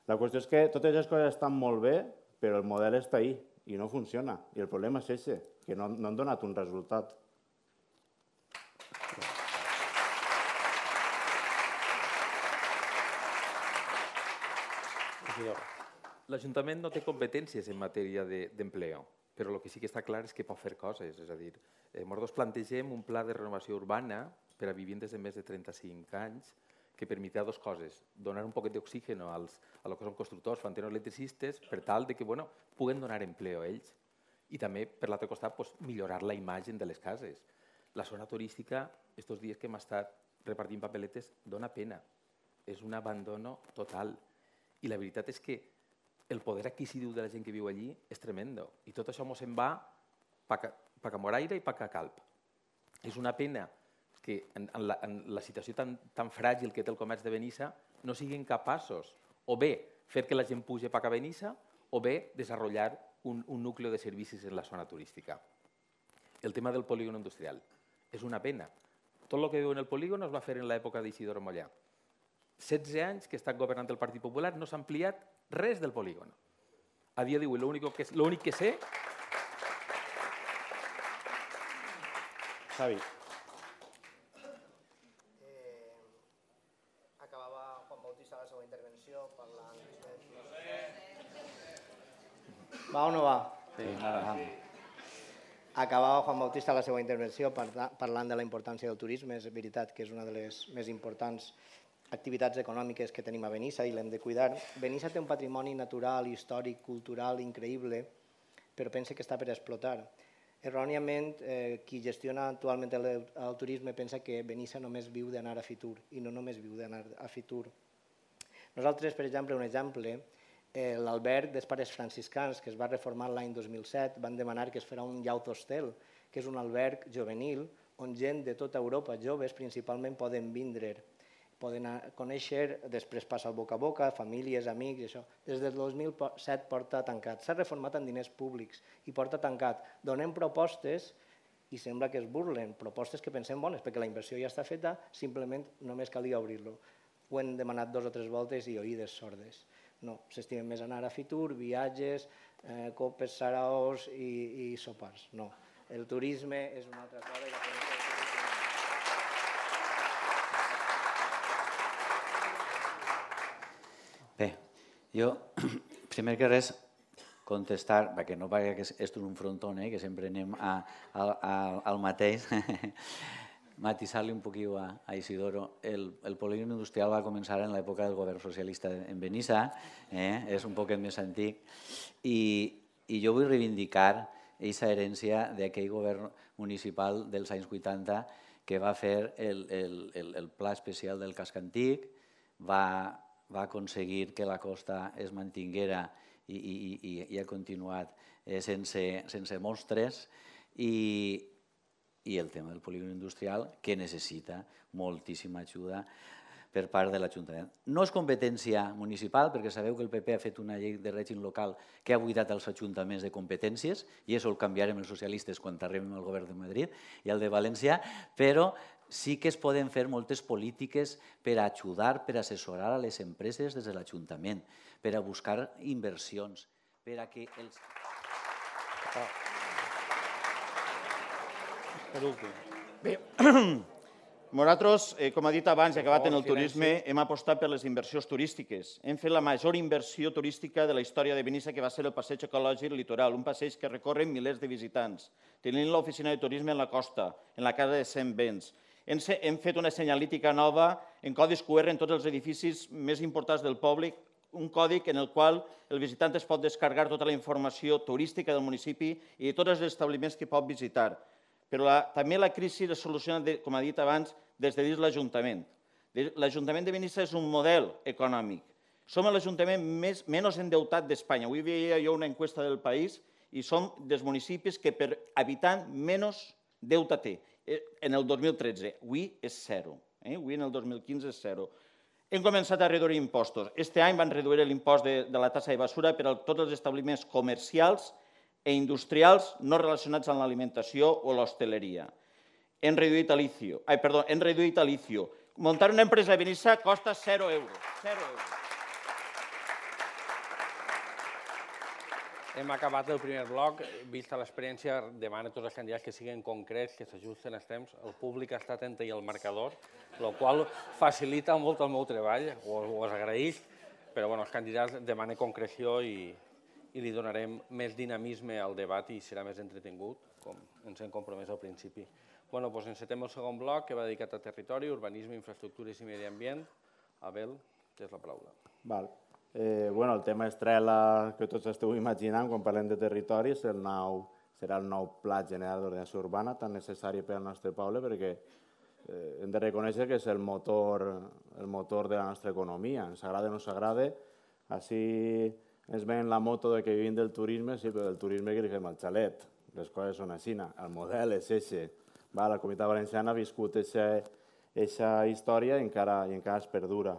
B: La qüestió és que totes les coses estan molt bé, però el model està ahí i no funciona. I el problema és aquest, que no, no han donat un resultat.
C: L'Ajuntament no té competències en matèria d'empleo, però el que sí que està clar és que pot fer coses. És a dir, nosaltres plantegem un pla de renovació urbana per a vivendes de més de trenta-cinc anys que permetrà dues coses. Donar un poquet d'oxigen als, a lo que són constructors, fanteros, electricistes, per tal de que bueno, puguen donar empleo a ells. I també, per l'altre costat, pues, millorar la imatge de les cases. La zona turística, aquests dies que hem estat repartint papeletes, dona pena. És un abandono total. I la veritat és que el poder adquisitiu de la gent que viu allí és tremendo. I tot això ens en va pa a Moraira i pa a Calp. És una pena que en, en, la, en la situació tan, tan fràgil que té el comerç de Benissa no siguin capaços o bé fer que la gent pugi pa a Benissa o bé desenvolupar un, un nucli de servicis en la zona turística. El tema del polígon industrial és una pena. Tot el que viu en el polígon es va fer en l'època d'Isidoro Mollà. setze anys que està governant el Partit Popular no s'ha ampliat res del polígon. A dia d'avui l'únic que, l'únic que sé...
B: Xavi.
D: Va o no va?
E: Sí, va.
D: Acabava Juan Bautista la seva intervenció parlant de la importància del turisme. És veritat que és una de les més importants activitats econòmiques que tenim a Benissa i l'hem de cuidar. Benissa té un patrimoni natural, històric, cultural increïble, però pensa que està per explotar. Erròniament, eh, qui gestiona actualment el, el turisme pensa que Benissa només viu d'anar a Fitur i no només viu d'anar a Fitur. Nosaltres, per exemple, un exemple, eh, l'alberg dels pares franciscans, que es va reformar l'any dos mil set, van demanar que es farà un llaut hostel, que és un alberg juvenil on gent de tota Europa, joves principalment, poden vindre, poden conèixer, després passa el boca a boca, famílies, amics i això. Des del dos mil set porta tancat. S'ha reformat amb diners públics i porta tancat. Donem propostes i sembla que es burlen, propostes que pensem bones, perquè la inversió ja està feta, simplement només calia obrir-lo. Ho hem demanat dos o tres voltes i oïdes sordes. No, s'estimen més anar a Fitur, viatges, eh, copes, saraos i, i sopars. No, el turisme és una altra cosa. I la
E: Bé, jo, primer que res, contestar, perquè no pagui que és, és un frontón, eh, que sempre anem a, a, a, al mateix, matisar-li un poquillo a, a Isidoro. El, el polígon industrial va començar en l'època del govern socialista en Benissa, eh, és un poquet més antic, i, i jo vull reivindicar aquesta herència d'aquell govern municipal dels anys vuitanta que va fer el, el, el, el pla especial del casc antic, va va aconseguir que la costa es mantinguera i, i, i, i ha continuat eh, sense, sense mostres i, i el tema del polígon industrial que necessita moltíssima ajuda per part de l'Ajuntament. No és competència municipal, perquè sabeu que el P P ha fet una llei de règim local que ha buidat els ajuntaments de competències i això el canviarem els socialistes quan arribem al govern de Madrid i al de València, però sí que es poden fer moltes polítiques per a ajudar, per a assessorar a les empreses des de l'Ajuntament, per a buscar inversions, per a que els...
A: Per últim.
F: Bé, nosaltres, eh, com ha dit abans, i acabat en el turisme, hem apostat per les inversions turístiques. Hem fet la major inversió turística de la història de Benissa, que va ser el passeig ecològic litoral, un passeig que recorren milers de visitants. Tenim l'oficina de turisme en la costa, en la casa de cent vents. Hem, hem fet una senyalítica nova en codis Q R en tots els edificis més importants del poble, un codi en el qual el visitant es pot descarregar tota la informació turística del municipi i de tots els establiments que pot visitar. Però la, també la crisi es soluciona, de, com ha dit abans, des de dins l'Ajuntament. L'Ajuntament de Benissa és un model econòmic. Som l'Ajuntament menys endeutat d'Espanya. Avui veia jo una encuesta del país i som dels municipis que per habitant menys deute té. En el dos mil tretze, avui és zero. Eh? Avui en el dos mil quinze és zero. Hem començat a reduir impostos. Este any van reduir l'impost de, de la tassa de basura per a tots els establiments comercials e industrials no relacionats amb l'alimentació o l'hostaleria. Hem reduït a licio. Ai, perdó, hem reduït a licio. Muntar una empresa a Benissa costa zero euros. Zero euros.
A: Hem acabat el primer bloc. Vista l'experiència, demana a tots els candidats que siguin concrets, que s'ajusten els temps. El públic està atent i el marcador, el qual facilita molt el meu treball, ho agraeix, però bueno, els candidats demanen concreció i, i li donarem més dinamisme al debat i serà més entretingut, com ens hem compromès al principi. Bueno, doncs encetem el segon bloc, que va dedicat a territori, urbanisme, infraestructures i medi ambient. Abel, tens la paraula.
B: Val. Eh, bueno, el tema estrella que tots esteu imaginant quan parlem de territori és el nou, serà el nou Pla General d'Ordenació Urbana, tan necessari per al nostre poble, perquè eh, hem de reconèixer que és el motor, el motor de la nostra economia. Ens agrada o no s'agrada, així ens ven la moto de que vivim del turisme, sí, però del turisme que li fem al xalet. Les coses són així, el model és eixe. La Comunitat Valenciana ha viscut aquesta història i encara, i encara es perdura.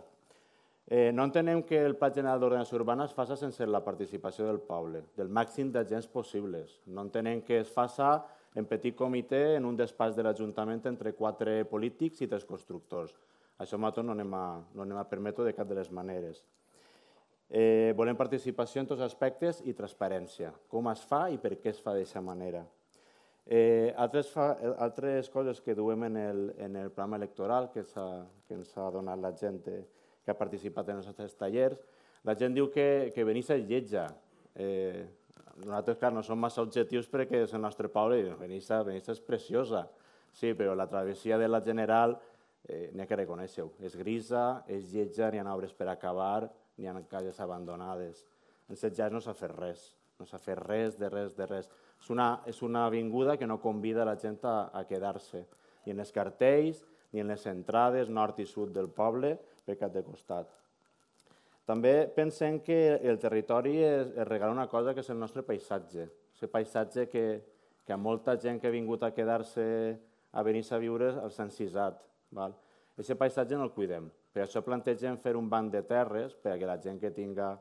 B: Eh, no entenem que el Pla General d'Ordenació Urbana es faci sense la participació del poble, del màxim d'agents possibles. No entenem que es faci en petit comitè en un despatx de l'Ajuntament entre quatre polítics i tres constructors. Això nosaltres no anem a, no anem a permetre de cap de les maneres. Eh, volem participació en tots els aspectes i transparència. Com es fa i per què es fa d'aquesta manera. Eh, altres, fa, altres coses que duem en el, en el programa electoral que, que ens ha donat la gent que ha participat en els nostres tallers, la gent diu que, que Benissa és lletja. Eh, nosaltres, clar, no som massa objectius perquè és el nostre poble i Benissa, Benissa és preciosa. Sí, però la travessia de la General eh, n'hi ha que reconèixer-ho. És grisa, és lletja, n'hi ha obres per acabar, n'hi ha cases abandonades. En set anys no s'ha fet res. No s'ha fet res, de res, de res. És una, és una avinguda que no convida la gent a, a quedar-se. Ni en els cartells, ni en les entrades nord i sud del poble, per cap de costat. També pensem que el territori es, es regala una cosa que és el nostre paisatge. El paisatge que, que a molta gent que ha vingut a quedar-se a Benissa a viure els ha encisat. Aquest paisatge no el cuidem. Per això plantegem fer un banc de terres perquè la gent que tinga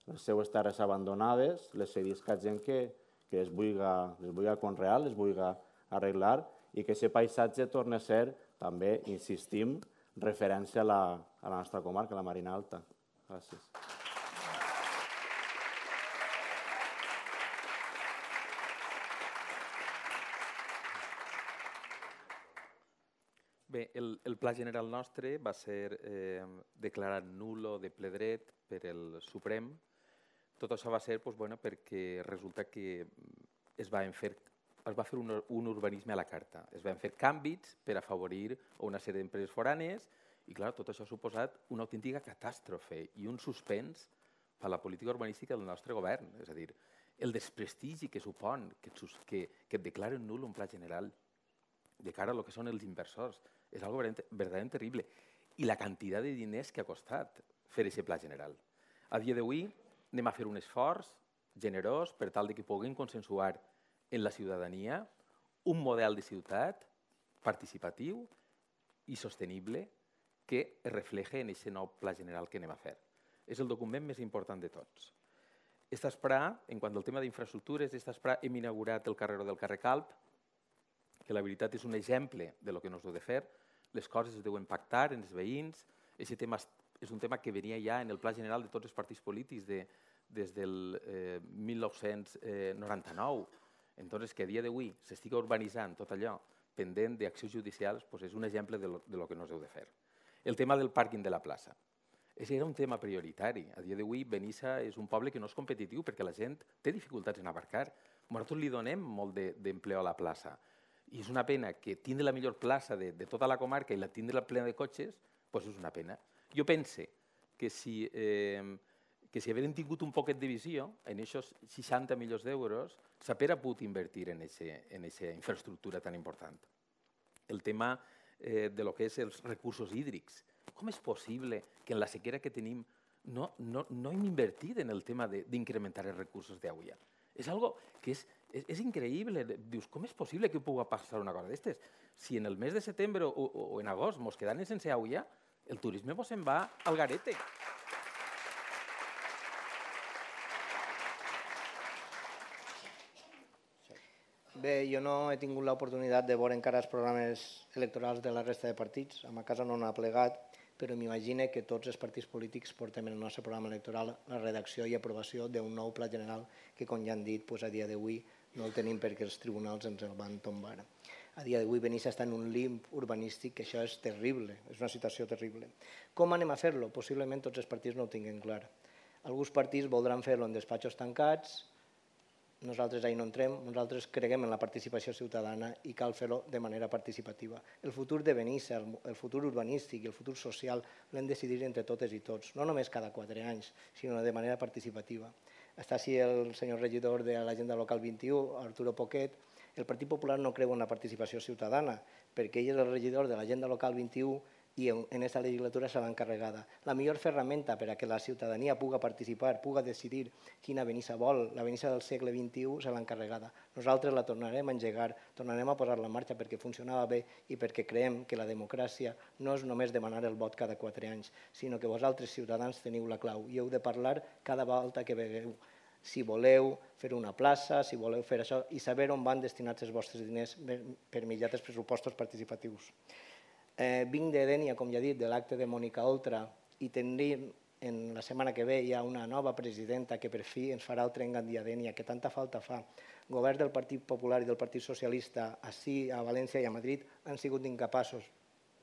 B: les seues terres abandonades les cedisca a gent que, que les vulgui, les vulgui conrear, les vulgui arreglar i que aquest paisatge torni a ser, també, insistim, referència a la, a la nostra comarca, la Marina Alta. Gràcies.
C: Bé, el, el pla general nostre va ser eh, declarat nulo de ple dret per el Suprem. Tot això va ser doncs, bueno, perquè resulta que es va fer, es va fer un, un urbanisme a la carta. Es van fer canvis per afavorir una sèrie d'empreses foranes i clar, tot això ha suposat una autèntica catàstrofe i un suspens per a la política urbanística del nostre govern. És a dir, el desprestigi que supon que, que, que et declaren nul un pla general de cara a lo que són els inversors és algo verdaderament terrible. I la quantitat de diners que ha costat fer aquest pla general. A dia d'avui anem a fer un esforç generós per tal de que puguem consensuar en la ciutadania un model de ciutat participatiu i sostenible que es refleje en aquest nou pla general que anem a fer. És el document més important de tots. Esta espra, en quant al tema d'infraestructures, esta espra hem inaugurat el carreró del carrer Calp, que la veritat és un exemple de lo que no s'ha de fer. Les coses es deuen pactar en els veïns. Aquest tema és un tema que venia ja en el pla general de tots els partits polítics de, des del eh, mil nou-cents noranta-nou. Entonces, que a dia d'avui s'estigui urbanitzant tot allò pendent d'accions judicials, doncs és un exemple de lo, de lo que no s'heu de fer. El tema del pàrquing de la plaça. Aquest era un tema prioritari. A dia d'avui, Benissa és un poble que no és competitiu perquè la gent té dificultats en aparcar. Nosaltres li donem molt d'empleo a la plaça. I és una pena que tindre la millor plaça de, de tota la comarca i la tindre plena de cotxes, doncs és una pena. Jo pense que si, eh, que si hagueren tingut un poquet de visió, en aquests seixanta milions d'euros, s'haguera pogut invertir en aquesta infraestructura tan important. El tema eh, de lo que és els recursos hídrics. Com és possible que en la sequera que tenim no, no, no hem invertit en el tema d'incrementar els recursos d'aigua? És algo que és, és, és increïble. Dius, com és possible que pugui passar una cosa d'aquestes? Si en el mes de setembre o, o en agost mos quedem sense aigua, el turisme mos se'n va al garete.
D: Bé, jo no he tingut l'oportunitat de veure encara els programes electorals de la resta de partits. A ma casa no n'ha plegat, però m'imagino que tots els partits polítics portem en el nostre programa electoral la redacció i aprovació d'un nou pla general que, com ja han dit, a dia d'avui no el tenim perquè els tribunals ens el van tombar. A dia d'avui Benissa està en un limb urbanístic, que això és terrible, és una situació terrible. Com anem a fer-lo? Possiblement tots els partits no ho tinguin clar. Alguns partits voldran fer-lo en despatxos tancats, nosaltres ahir no entrem, nosaltres creguem en la participació ciutadana i cal fer-ho de manera participativa. El futur de Benissa, el futur urbanístic i el futur social l'hem de decidir entre totes i tots, no només cada quatre anys, sinó de manera participativa. Està així el senyor regidor de l'Agenda Local vint-i-u, Arturo Poquet. El Partit Popular no creu en la participació ciutadana, perquè ell és el regidor de l'Agenda Local vint-i-u i en aquesta legislatura serà encarregada. La millor ferramenta per a que la ciutadania pugui participar, pugui decidir quina Benissa vol, la Benissa del segle vint-i-u, serà encarregada. Nosaltres la tornarem a engegar, tornarem a posar-la en marxa perquè funcionava bé i perquè creiem que la democràcia no és només demanar el vot cada quatre anys, sinó que vosaltres, ciutadans, teniu la clau i heu de parlar cada volta que vegueu. Si voleu fer una plaça, si voleu fer això, i saber on van destinats els vostres diners per mitjà dels pressupostos participatius. Eh, vinc de Dénia, com ja he dit, de l'acte de Mònica Oltra, i tindrem en la setmana que ve ja una nova presidenta que per fi ens farà el tren Gandia-Dénia, que tanta falta fa. Govern del Partit Popular i del Partit Socialista, així a València i a Madrid, han sigut incapaços.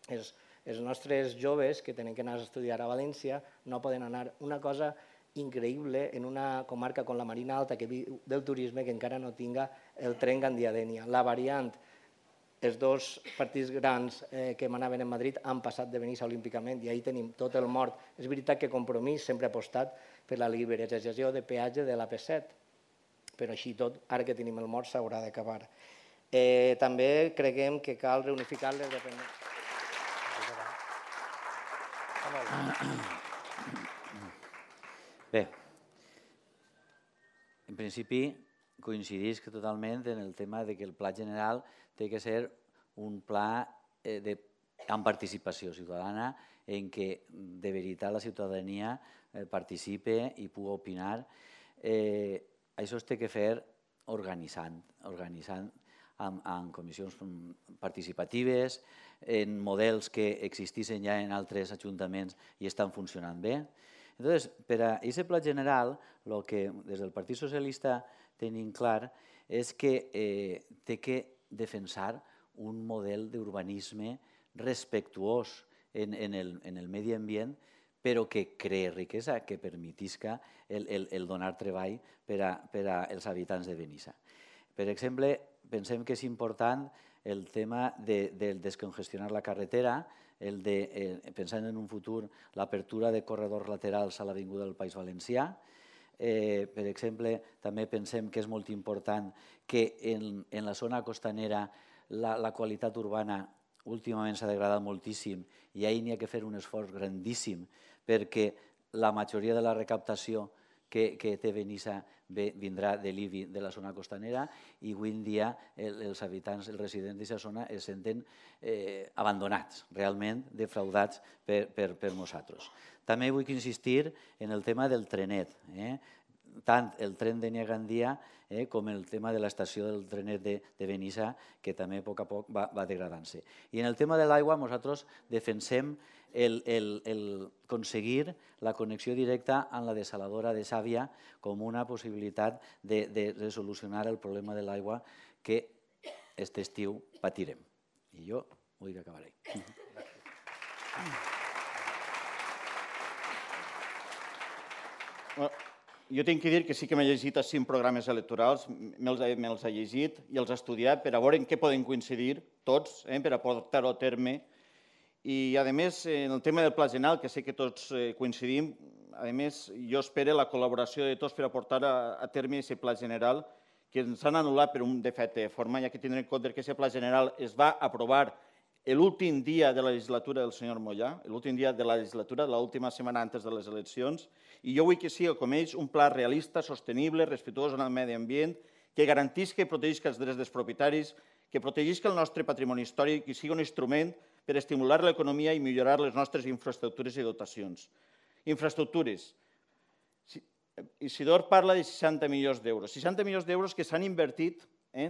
D: Els, els nostres joves que tenen que anar a estudiar a València no poden anar. Una cosa increïble en una comarca com la Marina Alta que viu del turisme que encara no tinga el tren Gandia-Dénia. La variant, els dos partits grans eh, que manaven en Madrid han passat de Benissa olímpicament i ahir tenim tot el mort. És veritat que Compromís sempre ha apostat per la liberalització de peatge de l'A P set, però així tot, ara que tenim el mort, s'haurà d'acabar. Eh, també creguem que cal reunificar les dependències.
E: Bé, en principi coincidís que totalment en el tema de que el pla general té que ser un pla eh, de, amb participació ciutadana en què de veritat la ciutadania eh, participe i pugui opinar. Eh, això es té que fer organitzant, organitzant amb, amb comissions participatives, en models que existissin ja en altres ajuntaments i estan funcionant bé. Entonces, per a aquest pla general, el que des del Partit Socialista tenim clar és que eh, té que defensar un model d'urbanisme respectuós en, en, el, en el medi ambient, però que cree riquesa, que permetisca el, el, el donar treball per a, per als habitants de Benissa. Per exemple, pensem que és important el tema de, de descongestionar la carretera, el de, eh, pensant en un futur, l'apertura de corredors laterals a l'Avinguda del País Valencià. Eh, per exemple, també pensem que és molt important que en, en la zona costanera la, la qualitat urbana últimament s'ha degradat moltíssim i ahir n'hi ha que fer un esforç grandíssim perquè la majoria de la recaptació que, que té Benissa ve, vindrà de l'I B I de la zona costanera i avui en dia el, els habitants, els residents d'aquesta zona es senten eh, abandonats, realment defraudats per, per, per nosaltres. També vull insistir en el tema del trenet, eh? tant el tren de Gandia eh, com el tema de l'estació del trenet de, de Benissa, que també a poc a poc va, va degradant-se. I en el tema de l'aigua nosaltres defensem el, el, el aconseguir la connexió directa amb la desaladora de Sàvia com una possibilitat de, de resolucionar el problema de l'aigua que aquest estiu patirem. I jo vull que acabaré.
F: Jo tinc que dir que sí que m'he llegit els cinc programes electorals, me'ls he llegit i els he estudiat per a veure en què poden coincidir tots, per a portar-ho a terme. I, a més, en el tema del Pla General, que sé que tots coincidim, a més, jo espero la col·laboració de tots per a portar a terme aquest Pla General, que ens han anul·lat per un defecte de forma, ja que tindrem en compte que aquest Pla General es va aprovar l'últim dia de la legislatura del senyor Mollà, l'últim dia de la legislatura, l'última setmana antes de les eleccions, i jo vull que sigui, com ells, un pla realista, sostenible, respectuós amb el medi ambient, que garantisca i protegisca els drets dels propietaris, que protegisca el nostre patrimoni històric i sigui un instrument per estimular l'economia i millorar les nostres infraestructures i dotacions. Infraestructures. Isidor parla de seixanta milions d'euros. seixanta milions d'euros que s'han invertit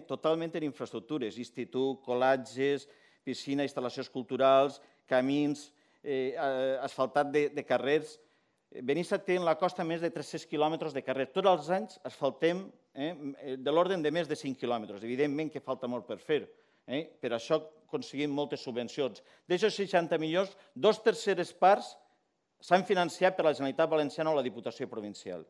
F: totalment en infraestructures, institut, col·latges, piscina, instal·lacions culturals, camins, asfaltat de carrers. Benissa té en la costa més de tres-cents quilòmetres de carrer. Tots els anys asfaltem de l'ordre de més de cinc quilòmetres. Evidentment que falta molt per fer. Per això aconseguim moltes subvencions. D'aquests seixanta milions, dos terceres parts s'han financiat per la Generalitat Valenciana o la Diputació Provincial.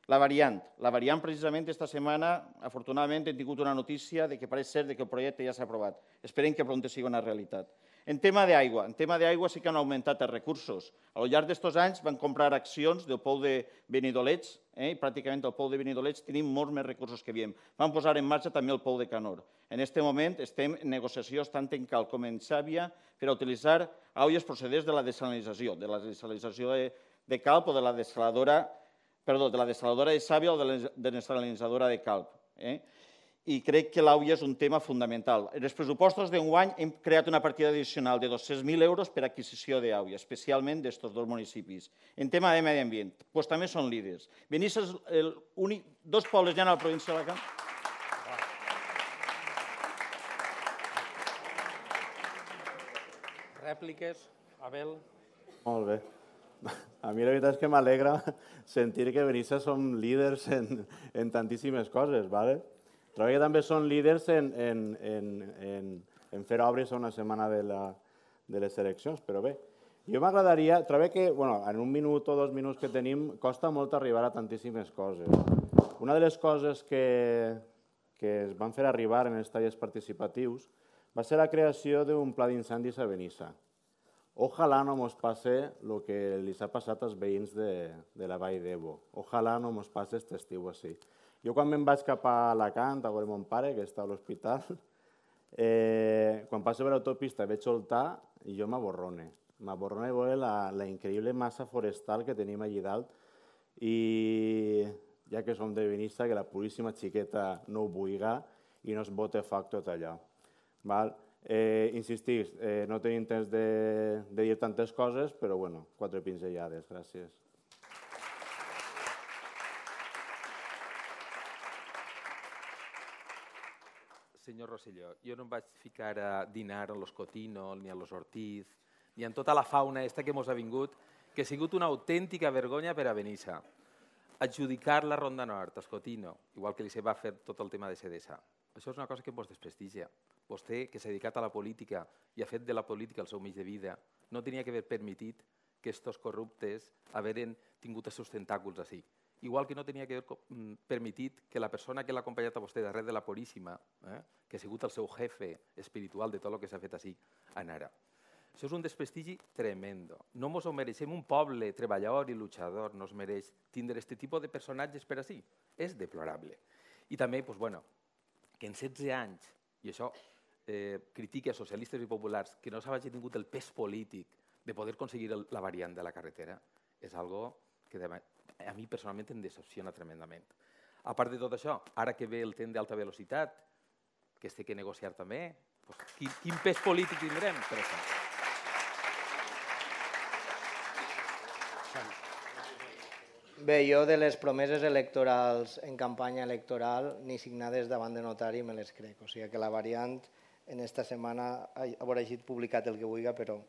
F: La variant. La variant, precisament, aquesta setmana, afortunadament, hem tingut una notícia que pareix ser que el projecte ja s'ha aprovat. Esperem que prompte sigui una realitat. En tema d'aigua, en tema d'aigua sí que han augmentat els recursos. Al llarg d'estos anys van comprar accions del pou de Benidolets, i pràcticament al pou de Benidolets tenim molts més recursos que havíem. Van posar en marxa també el pou de Canor. En aquest moment estem en negociacions tant en Calp com en Xàbia per a utilitzar aigües procedents de la desalinització, de la desalinització de Calp o de la desaladora perdó, de la desaladora de Xàbia o de la desalinitzadora de Calp. I crec que l'aigua és un tema fundamental. En els pressupostos d'enguany hem creat una partida addicional de dos-cents mil euros per a adquisició d'aigua, especialment d'estos dos municipis. En tema de medi ambient, doncs també són líders. Benissa és l'únic, dos pobles ja a la província d'Alacant.
A: Rèpliques, Abel?
B: Molt bé. A mi la veritat és que m'alegra sentir que Benissa som líders en, en tantíssimes coses, ¿vale? Trobo que també són líders en, en, en, en, en fer obres a una setmana de, la, de les eleccions, però bé, jo m'agradaria, trobo que bueno, en un minut o dos minuts que tenim costa molt arribar a tantíssimes coses. Una de les coses que, que es van fer arribar en els tallers participatius va ser la creació d'un pla d'incendis a Benissa. Ojalà no mos passe el que li ha passat als veïns de, de la Vall d'Ebo. Ojalà no mos passe aquest estiu així. Jo quan me'n vaig cap a Alacant, a veure mon pare, que està a l'hospital, eh, quan passo per l'autopista veig soltar i jo m'aborrone. M'aborrone veure la, la increïble massa forestal que tenim allà dalt i ja que som de Benissa, que la puríssima xiqueta no ho vulga i no es bote foc tot allò. Val? Eh, insistís, eh, no tenim temps de, de dir tantes coses, però bueno, quatre pinzellades. Gràcies.
C: Senyor Rosselló, jo no em vaig ficar a dinar a los Cotino, ni a los Ortiz, ni en tota la fauna esta que mos ha vingut, que ha sigut una autèntica vergonya per a Benissa. Adjudicar la Ronda Nord als Cotino, igual que li se va fer tot el tema de Sedesa. Això és una cosa que vos desprestigia. Vostè, que s'ha dedicat a la política i ha fet de la política el seu mig de vida, no tenia que haver permitit que estos corruptes haveren tingut els seus tentáculs així. Igual que no tenia que haver permitit que la persona que l'ha acompanyat a vostè darrere de la Puríssima, eh, que ha sigut el seu jefe espiritual de tot el que s'ha fet així, anara. Això és un desprestigi tremendo. No mos ho mereixem. Un poble treballador i luchador no es mereix tindre aquest tipus de personatges per així. És deplorable. I també, doncs, bueno, que en setze anys, i això eh, critica a socialistes i populars, que no s'hagi tingut el pes polític de poder aconseguir el, la variant de la carretera, és algo que a mi personalment em decepciona tremendament. A part de tot això, ara que ve el tren d'alta velocitat, que es té que negociar també, doncs, quin, quin pes polític tindrem per això?
D: Bé, jo de les promeses electorals en campanya electoral ni signades davant de notari me les crec. O sigui que la variant en esta setmana haurà llegit publicat el que vulgui, però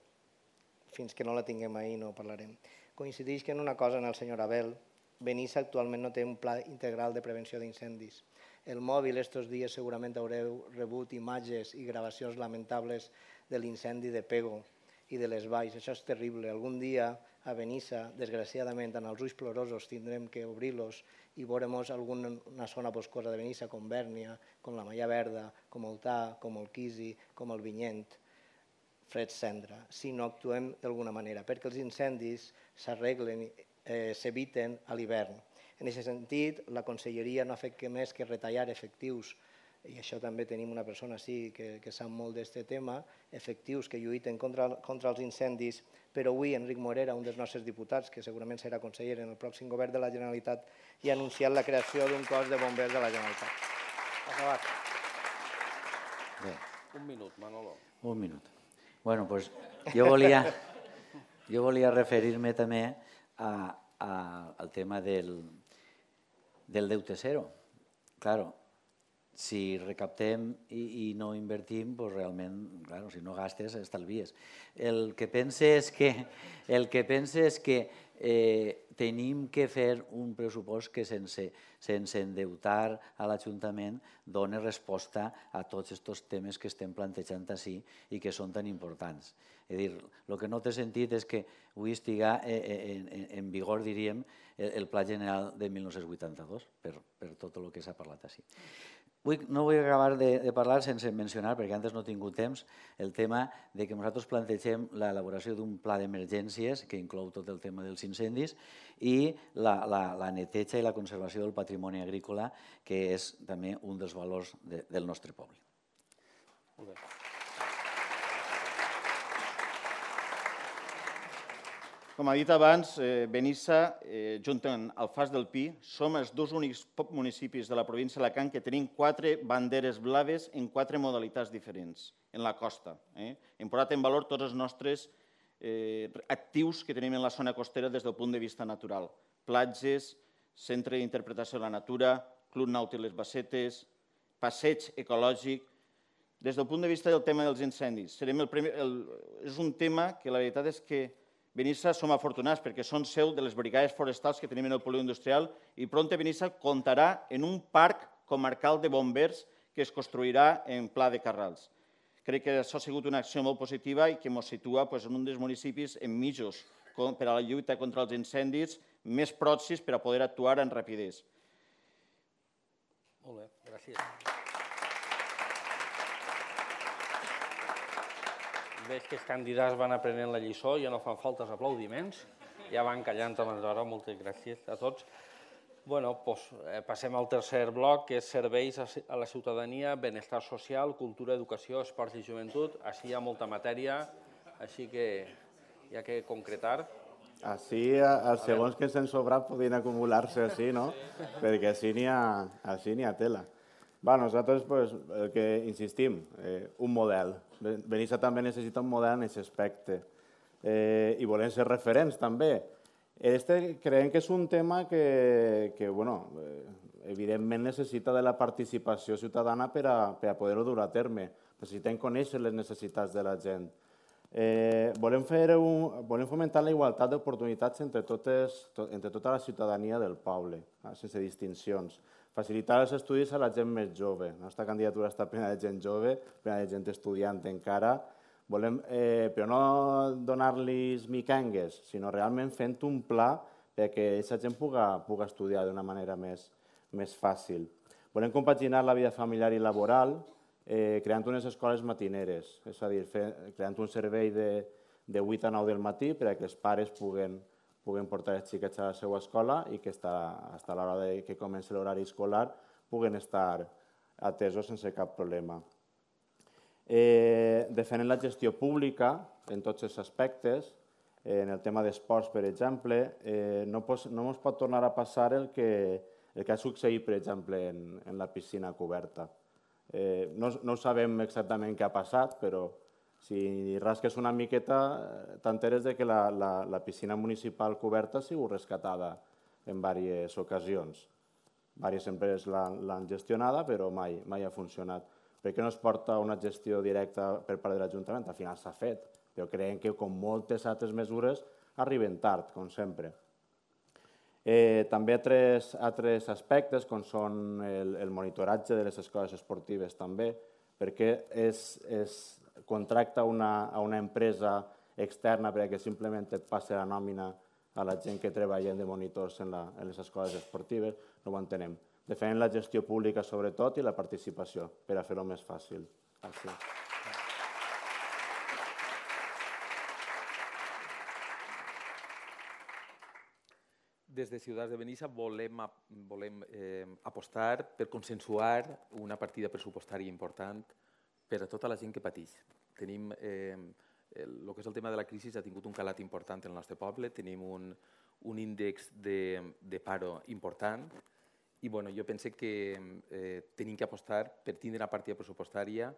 D: fins que no la tinguem ahir no parlarem. Coincideix que en una cosa en el senyor Abel, Benissa actualment no té un pla integral de prevenció d'incendis. el mòbil. Estos dies segurament haureu rebut imatges i gravacions lamentables de l'incendi de Pego i de les valls. Això és terrible. Algun dia a Benissa, desgraciadament, en els ulls plorosos tindrem que obrir-los i veurem alguna zona boscosa de Benissa, com Bèrnia, com la Malla Verda, com el Tà, com el Quisi, com el Vinyent, fred cendra, si no actuem d'alguna manera, perquè els incendis s'arreglen, s'eviten a l'hivern. En aquest sentit, la Conselleria no ha fet més que retallar efectius, i això també tenim una persona així que sap molt d'aquest tema, efectius que lluiten contra els incendis, però avui Enric Morera, un dels nostres diputats, que segurament serà conseller en el pròxim govern de la Generalitat, ja ha anunciat la creació d'un cos de bombers de la Generalitat. Acabat.
A: Un minut, Manolo.
E: Un minut. Bueno, doncs jo volia, jo volia referir-me també al tema del, del deute zero. Claro, si recaptem i, i no invertim, doncs realment, claro, si no gastes, estalvies. El que pense és que, el que, pense és que eh, tenim que fer un pressupost que sense, sense endeutar a l'Ajuntament doni resposta a tots aquests temes que estem plantejant així i que són tan importants. És a dir, el que no té sentit és que avui estigui en, en, en vigor, diríem, el, el Pla General de mil nou-cents vuitanta-dos, per, per tot el que s'ha parlat així. No vull acabar de, de parlar sense mencionar, perquè antes no he tingut temps, el tema de que nosaltres plantegem l'elaboració d'un pla d'emergències que inclou tot el tema dels incendis i la, la, la neteja i la conservació del patrimoni agrícola, que és també un dels valors de, del nostre poble.
A: Molt bé.
F: Com ha dit abans, Benissa, junt amb Alfàs del Pi, som els dos únics municipis de la província d'Alacant que tenim quatre banderes blaves en quatre modalitats diferents en la costa. Hem posat en valor tots els nostres actius que tenim en la zona costera des del punt de vista natural. Platges, centre d'interpretació de la natura, Club Nàutic Les Bassetes, passeig ecològic. Des del punt de vista del tema dels incendis, és un tema que la veritat és que Benissa som afortunats perquè són seu de les brigades forestals que tenim en el polígon industrial i prompte Benissa comptarà en un parc comarcal de bombers que es construirà en Pla de Carrals. Crec que això ha sigut una acció molt positiva i que ens situa en un dels municipis en mitjos per a la lluita contra els incendis més pròxims per a poder actuar amb rapidesa.
A: Molt bé, gràcies. Veig que els candidats van aprenent la lliçó, ja no fan falta els aplaudiments, ja van callant abans d'hora, moltes gràcies a tots. Bé, passem al tercer bloc, que és serveis a la ciutadania, benestar social, cultura, educació, esports i joventut. Així hi ha molta matèria, així que hi ha que concretar.
B: Així, els segons que s'han sobrat podien acumular-se així, no? Perquè així n'hi ha tela. Bé, nosaltres, el que insistim, un model. Benissa també necessita un model en aquest aspecte. I volem ser referents, també. Creiem que és un tema que, evidentment, necessita de la participació ciutadana per a poder-ho dur a terme. Necessitem conèixer les necessitats de la gent. Volem fomentar la igualtat d'oportunitats entre tota la ciutadania del poble, sense distincions. Facilitar els estudis a la gent més jove. La nostra candidatura està plena de gent jove, plena de gent estudiant encara, però no donar-los micangues, sinó realment fent un pla perquè aquesta gent pugui estudiar d'una manera més fàcil. Volem compaginar la vida familiar i laboral creant unes escoles matineres, és a dir, creant un servei de vuit a nou del matí perquè els pares puguin puguin portar els xiquets a la seva escola i que fins a l'hora que comenci l'horari escolar puguen estar atesos sense cap problema. Defenen la gestió pública en tots els aspectes. En el tema d'esports, per exemple, no ens pot tornar a passar el que ha succeït, per exemple, en la piscina coberta. No sabem exactament què ha passat, però si rasques una miqueta, t'enteres que la piscina municipal coberta ha sigut rescatada en diverses ocasions. Diverses empreses l'han gestionada, però mai ha funcionat. Per què no es porta una gestió directa per part de l'Ajuntament? Al final s'ha fet, però creiem que, com moltes altres mesures, arriben tard, com sempre. Eh, també altres, altres aspectes, com són el, el monitoratge de les escoles esportives també, perquè es, es contracta una, a una empresa externa perquè simplement et passi la nòmina a la gent que treballa de monitors en, la, en les escoles esportives, no ho entenem. Defenen la gestió pública sobretot i la participació, per a fer-ho més fàcil. Gràcies.
C: Des de Ciutadans de Benissa volem, volem eh, apostar per consensuar una partida pressupostària important per a tota la gent que pateix. Tenim, eh, el, el que és el tema de la crisi ha tingut un calat important en el nostre poble, tenim un, un índex de, de paro important i bueno, jo penso que eh, tenim que apostar per tindre una partida pressupostària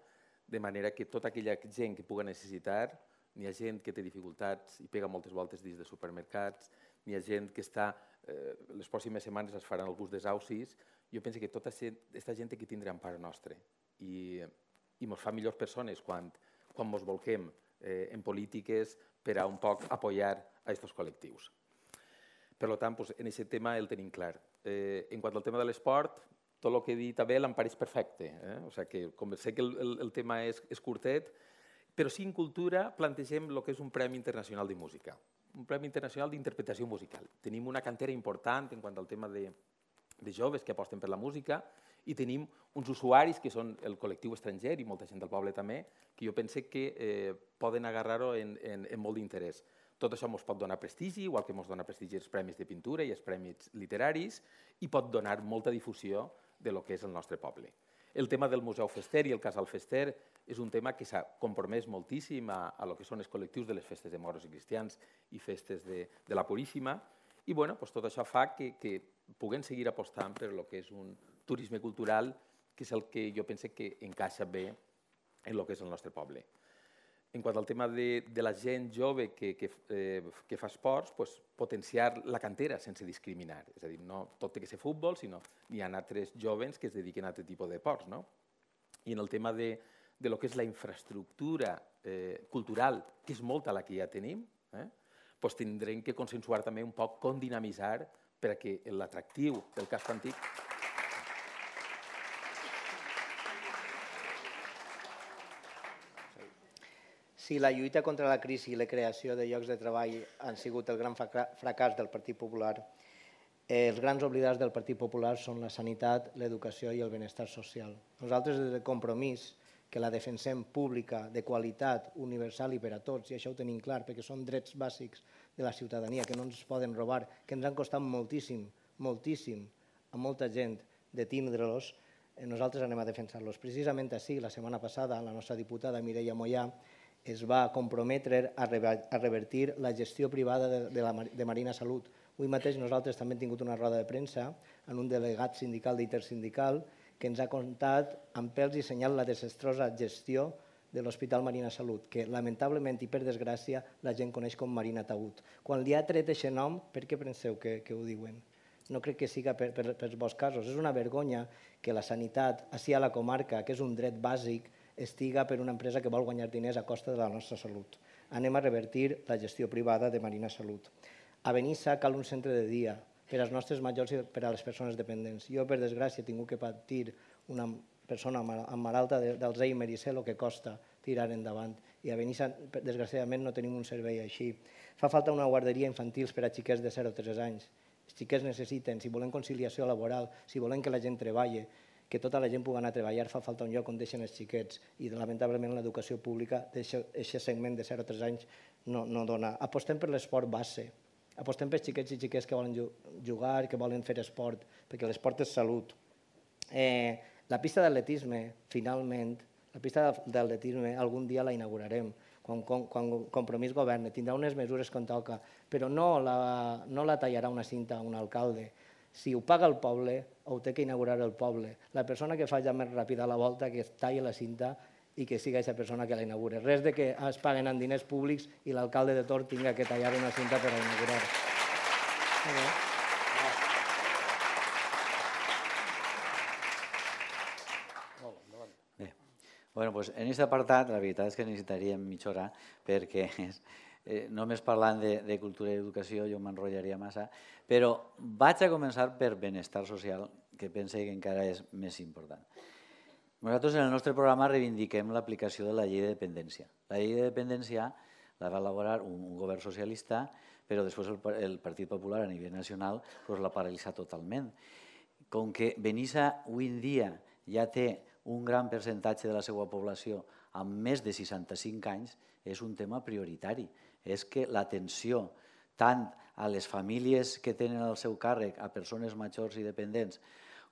C: de manera que tota aquella gent que pugui necessitar, n'hi ha gent que té dificultats i pega moltes voltes dins de supermercats, n'hi ha gent que està, eh, les pròximes setmanes es faran alguns desaucis, jo penso que tota aquesta gent té que tindre empara nostra i, i ens fa millors persones quan, quan ens volquem eh, en polítiques per a un poc apoyar a aquests col·lectius. Per tant, pues, en aquest tema el tenim clar. Eh, en quant al tema de l'esport, tot el que he dit a Abel em pareix perfecte. Eh? O sigui que, com sé que el, el, el tema és, és curtet, però sí en cultura plantegem el que és un Premi Internacional de Música, un Premi Internacional d'Interpretació Musical. Tenim una cantera important en quant al tema de, de joves que aposten per la música i tenim uns usuaris que són el col·lectiu estranger i molta gent del poble també, que jo penso que eh, poden agarrar-ho en, en, en molt d'interès. Tot això ens pot donar prestigi, igual que ens dona prestigi els premis de pintura i els premis literaris, i pot donar molta difusió de lo que és el nostre poble. El tema del Museu Fester i el Casal Fester és un tema que s'ha compromès moltíssim a, a lo que són els col·lectius de les festes de moros i cristians i festes de, de la Puríssima, i bueno, pues tot això fa que, que puguem seguir apostant per lo que és un turisme cultural, que és el que jo penso que encaixa bé en lo que és el nostre poble. En quant al tema de, de la gent jove que, que, eh, que fa esports, pues, potenciar la cantera sense discriminar. És a dir, no tot té que ser futbol, sinó hi ha altres joves que es dediquen a aquest tipus d'esports. No? I en el tema de, de lo que és la infraestructura eh, cultural, que és molta la que ja tenim, eh, pues tindrem que consensuar també un poc com dinamitzar per a que l'atractiu del casc antic
D: Si la lluita contra la crisi i la creació de llocs de treball han sigut el gran fracàs del Partit Popular, els grans oblidats del Partit Popular són la sanitat, l'educació i el benestar social. Nosaltres, des de Compromís, que la defensem pública, de qualitat, universal i per a tots, i això ho tenim clar, perquè són drets bàsics de la ciutadania, que no ens poden robar, que ens han costat moltíssim, moltíssim, a molta gent de tindre-los, nosaltres anem a defensar-los. Precisament així, la setmana passada, la nostra diputada Mireia Mollà es va comprometre a revertir la gestió privada de Marina Salut. Avui mateix nosaltres també hem tingut una roda de premsa en un delegat sindical d'Intersindical que ens ha contat amb pèls i senyal la desastrosa gestió de l'Hospital Marina Salut, que lamentablement i per desgràcia la gent coneix com Marina Taüt. Quan li ha tret aquest nom, per què penseu que ho diuen? No crec que siga per els vostres casos. És una vergonya que la sanitat, així a la comarca, que és un dret bàsic, estiga per una empresa que vol guanyar diners a costa de la nostra salut. Anem a revertir la gestió privada de Marina Salut. A Benissa cal un centre de dia per als nostres majors i per a les persones dependents. Jo, per desgràcia, he tingut que patir una persona amb malalta d'Alzheimer i sé el que costa tirar endavant. I a Benissa, desgraciadament, no tenim un servei així. Fa falta una guarderia infantil per a xiquets de zero a tres anys. Els xiquets necessiten, si volem conciliació laboral, si volem que la gent treballi, que tota la gent pugui anar a treballar, fa falta un lloc on deixen els xiquets i lamentablement l'educació pública d'aquest segment de zero a tres anys no dona. Apostem per l'esport base, apostem per xiquets i xiquets que volen jugar, que volen fer esport, perquè l'esport és salut. La pista d'atletisme, finalment, la pista d'atletisme algun dia la inaugurarem, quan Compromís governi, tindrà unes mesures com toca, però no la tallarà una cinta un alcalde. Si ho paga el poble, ho té que inaugurar el poble. La persona que faci més ràpida la volta, que talli la cinta i que siga aquesta persona que la inaugura. Res de que es paguen amb diners públics i l'alcalde de Tor tinga que tallar una cinta per a inaugurar.
E: Bé, bueno, doncs en aquest apartat la veritat és que necessitaríem mitja hora perquè eh, només parlant de, de cultura i educació jo m'enrotllaria massa, però vaig a començar per benestar social, que pense que encara és més important. Nosaltres en el nostre programa reivindiquem l'aplicació de la llei de dependència. La llei de dependència la va elaborar un, un govern socialista, però després el, el Partit Popular a nivell nacional pues, l'ha paralitzat totalment. Com que Benissa avui en dia ja té un gran percentatge de la seva població amb més de seixanta-cinc anys, és un tema prioritari. És que l'atenció tant a les famílies que tenen al seu càrrec, a persones majors i dependents,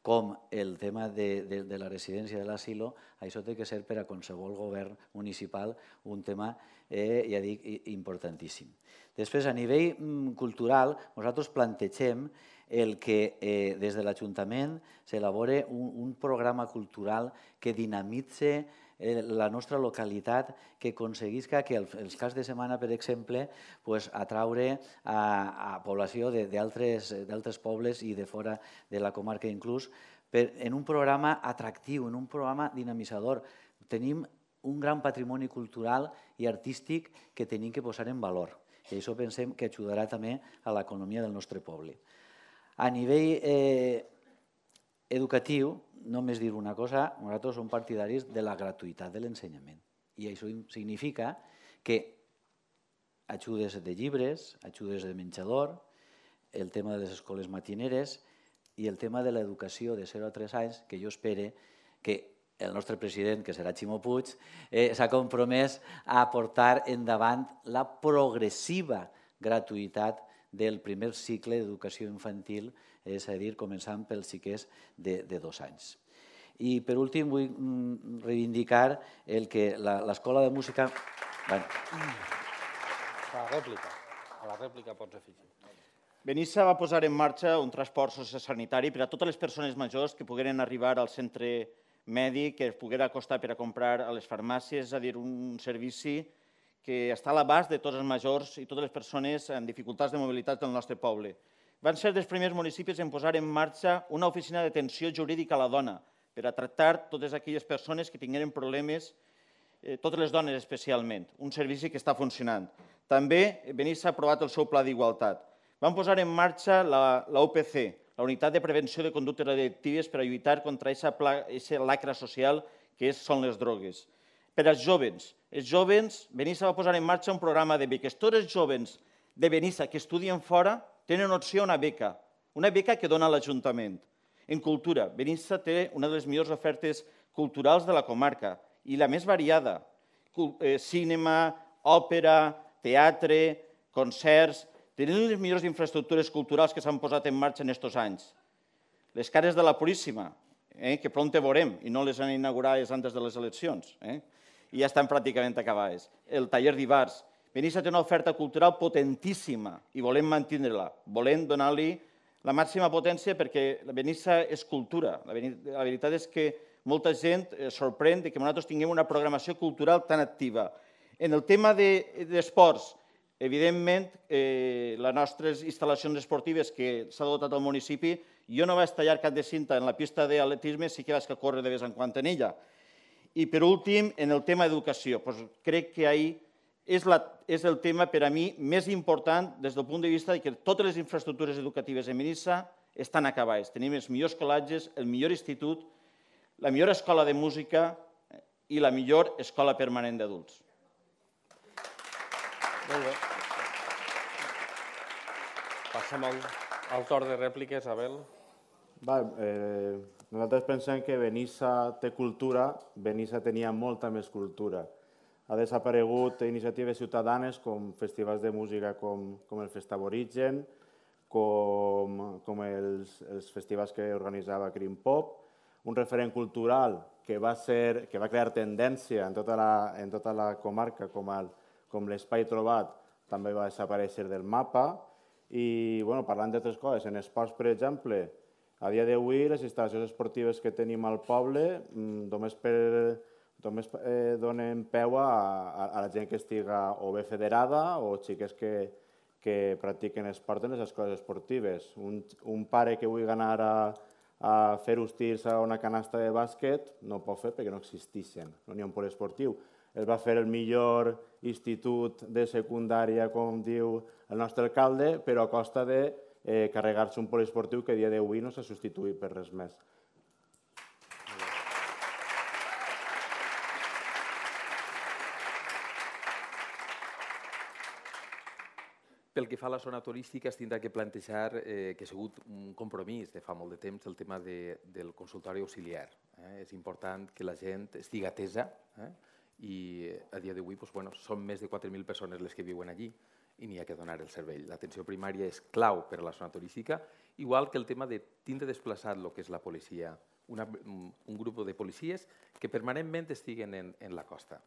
E: com el tema de, de, de la residència de l'asilo, això té que ser per a qualsevol govern municipal un tema, eh, ja dic, importantíssim. Després, a nivell mm, cultural, nosaltres plantegem el que eh, des de l'Ajuntament s'elabore un, un programa cultural que dinamitze eh, la nostra localitat, que aconseguisca que el, els caps de setmana, per exemple, pues, atraure a, a població d'altres pobles i de fora de la comarca inclús, per, en un programa atractiu, en un programa dinamitzador. Tenim un gran patrimoni cultural i artístic que tenim que posar en valor. I això pensem que ajudarà també a l'economia del nostre poble. A nivell eh, educatiu, només dir una cosa, nosaltres som partidaris de la gratuïtat de l'ensenyament. I això significa que ajudes de llibres, ajudes de menjador, el tema de les escoles matineres i el tema de l'educació de zero a tres anys, que jo espere que el nostre president, que serà Ximo Puig, eh, s'ha compromès a portar endavant la progressiva gratuïtat del primer cicle d'educació infantil, és a dir, començant pels xiquets de, de dos anys. I per últim vull mm, reivindicar el que l'escola de música... Bueno.
A: A la rèplica, a la rèplica pots afegir.
F: Benissa va posar en marxa un transport sociosanitari per a totes les persones majors que pogueren arribar al centre mèdic, que es poguera acostar per a comprar a les farmàcies, és a dir, un servici que està a l'abast de tots els majors i totes les persones amb dificultats de mobilitat del nostre poble. Van ser dels primers municipis en posar en marxa una oficina d'atenció jurídica a la dona per a tractar totes aquelles persones que tingueren problemes, eh, totes les dones especialment, un servici que està funcionant. També Benissa ha aprovat el seu pla d'igualtat. Van posar en marxa la, la U P C, la Unitat de Prevenció de Conductes Addictives, per a lluitar contra aquesta lacra social que és, són les drogues. Per als jovens, els jovens, Benissa va posar en marxa un programa de beques. Tots els jovens de Benissa que estudien fora tenen opció a una beca, una beca que dona l'Ajuntament. En cultura, Benissa té una de les millors ofertes culturals de la comarca i la més variada. Cinema, òpera, teatre, concerts. Tenim les millors infraestructures culturals que s'han posat en marxa en aquests anys. Les cares de la Puríssima, eh, que pront veurem, i no les han inaugurat antes de les eleccions, eh, i ja estan pràcticament acabades. El taller d'Ibars. Benissa té una oferta cultural potentíssima i volem mantenir-la. Volem donar-li la màxima potència perquè la Benissa és cultura. La veritat és que molta gent es sorprèn que nosaltres tinguem una programació cultural tan activa. En el tema d'esports, evidentment, eh, les nostres instal·lacions esportives que s'ha dotat al municipi, jo no vaig tallar cap de cinta en la pista d'atletisme, sí que vaig a córrer de vez en quan en ella. I per últim, en el tema d'educació, doncs crec que ahir és, la, és el tema per a mi més important des del punt de vista que totes les infraestructures educatives de Benissa estan acabades. Tenim els millors col·legis, el millor institut, la millor escola de música i la millor escola permanent d'adults.
A: Molt bé. Passem al, al torn de rèpliques, Abel.
B: Va, eh, nosaltres pensem que Benissa té cultura, Benissa tenia molta més cultura. Ha desaparegut iniciatives ciutadanes com festivals de música com, com el Festaborigen, com, com els, els festivals que organitzava Crim Pop, un referent cultural que va, ser, que va crear tendència en tota la, en tota la comarca, com, el, com l'Espai Trobat, també va desaparèixer del mapa. I bueno, parlant d'altres coses, en esports, per exemple, a dia d'avui les instal·lacions esportives que tenim al poble només, per, només eh, donen peu a, a, a la gent que estiga o bé federada o xiques que, que practiquen esport en les escoles esportives. Un, un pare que vulgui anar a, a fer tirs a una canasta de bàsquet no pot fer perquè no existeixen, no n'hi ha un pol esportiu. es va fer el millor institut de secundària, com diu el nostre alcalde, però a costa de eh, carregar-se un poliesportiu que a dia d'avui no s'ha substituït per res més.
C: Pel que fa a la zona turística, es tindrà que plantejar eh, que ha sigut un compromís de fa molt de temps el tema de, del consultori auxiliar. Eh? És important que la gent estigui atesa eh? i a dia d'avui doncs, bueno, són més de quatre mil persones les que viuen allí i n'hi ha que donar el servei. L'atenció primària és clau per a la zona turística, igual que el tema de tindre desplaçat el que és la policia, una, un grup de policies que permanentment estiguen en, en la costa.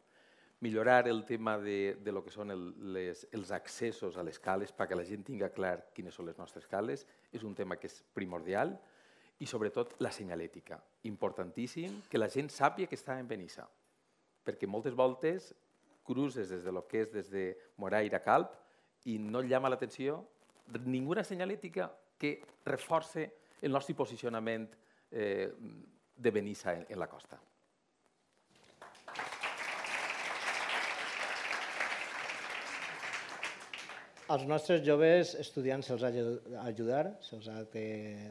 C: Millorar el tema de, de lo que són el, les, els accessos a les cales perquè la gent tinga clar quines són les nostres cales és un tema que és primordial i sobretot la senyalètica. Importantíssim que la gent sàpiga que està en Benissa perquè moltes voltes cruces des de lo que és des de Moraira a Calp i no et llama l'atenció ninguna senyalètica que reforce el nostre posicionament eh, de Benissa en, en la costa.
D: Als nostres joves estudiants se'ls ha d'ajudar, se'ls ha de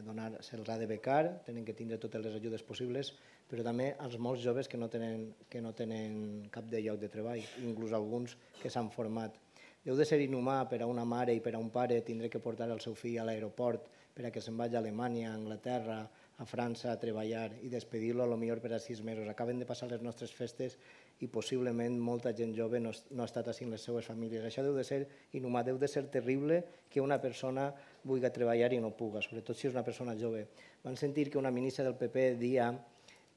D: donar, se'ls ha de becar, tenen que tindre totes les ajudes possibles, però també als molts joves que no tenen, que no tenen cap de lloc de treball, inclús alguns que s'han format. Deu de ser inhumà per a una mare i per a un pare tindre que portar el seu fill a l'aeroport per a que se'n vagi a Alemanya, a Anglaterra, a França a treballar i despedir-lo potser per a sis mesos. Acaben de passar les nostres festes i possiblement molta gent jove no, no ha estat així amb les seues famílies. Això deu de ser inhumà, deu de ser terrible que una persona vulgui treballar i no puga, sobretot si és una persona jove. Van sentir que una ministra del P P dia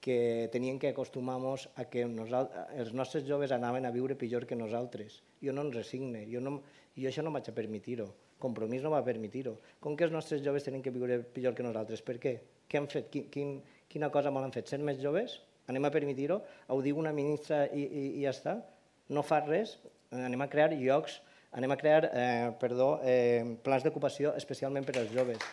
D: que tenien que acostumar-nos a que els nostres joves anaven a viure pitjor que nosaltres. Jo no ens resigne, jo, no, jo això no vaig a permetir-ho, Compromís no va permetir-ho. Com que els nostres joves tenen que viure pitjor que nosaltres? Per què? Què han fet? Quin, quin, quina cosa mal han fet? Ser més joves? Anem a permetir-ho? Ho diu una ministra i, i, i ja està? No fa res? Anem a crear llocs, anem a crear eh, perdó, eh, plans d'ocupació especialment per als joves.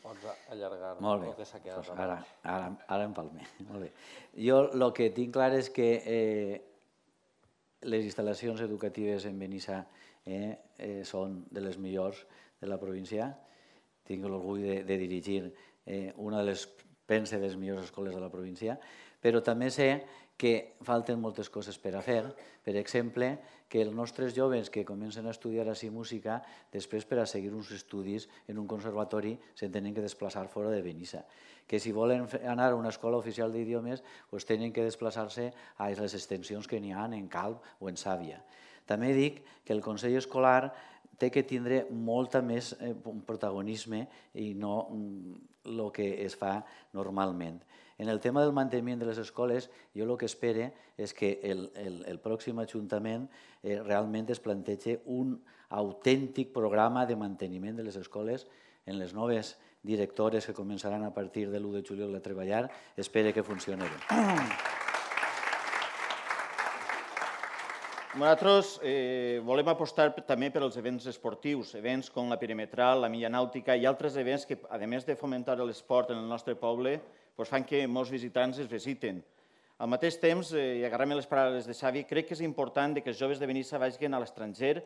A: Pots allargar
E: Molt bé,
A: el que s'ha quedat.
E: pues ara, ara, ara em palme. Molt bé. Jo el que tinc clar és que eh, les instal·lacions educatives en Benissa eh, eh, són de les millors de la província. Tinc l'orgull de, de dirigir eh, una de les, pense, de les millors escoles de la província, però també sé que falten moltes coses per a fer. Per exemple, que els nostres joves que comencen a estudiar així música, després per a seguir uns estudis en un conservatori se'n tenen que desplaçar fora de Benissa. Que si volen anar a una escola oficial d'idiomes, doncs tenen que desplaçar-se a les extensions que n'hi ha en Calp o en Sàvia. També dic que el Consell Escolar té que tindre molta més eh, protagonisme i no el que es fa normalment. En el tema del manteniment de les escoles, jo el que espero és que el, el, el pròxim Ajuntament eh, realment es plantegi un autèntic programa de manteniment de les escoles en les noves directores que començaran a partir de l'u de juliol a treballar. Espero que funcioni bé.
F: Nosaltres eh, volem apostar també per als events esportius, events com la perimetral, la milla nàutica i altres events que, a més de fomentar l'esport en el nostre poble, doncs fan que molts visitants es visiten. Al mateix temps, eh, i agarrant-me les paraules de Xavi, crec que és important que els joves de Benissa vagin a l'estranger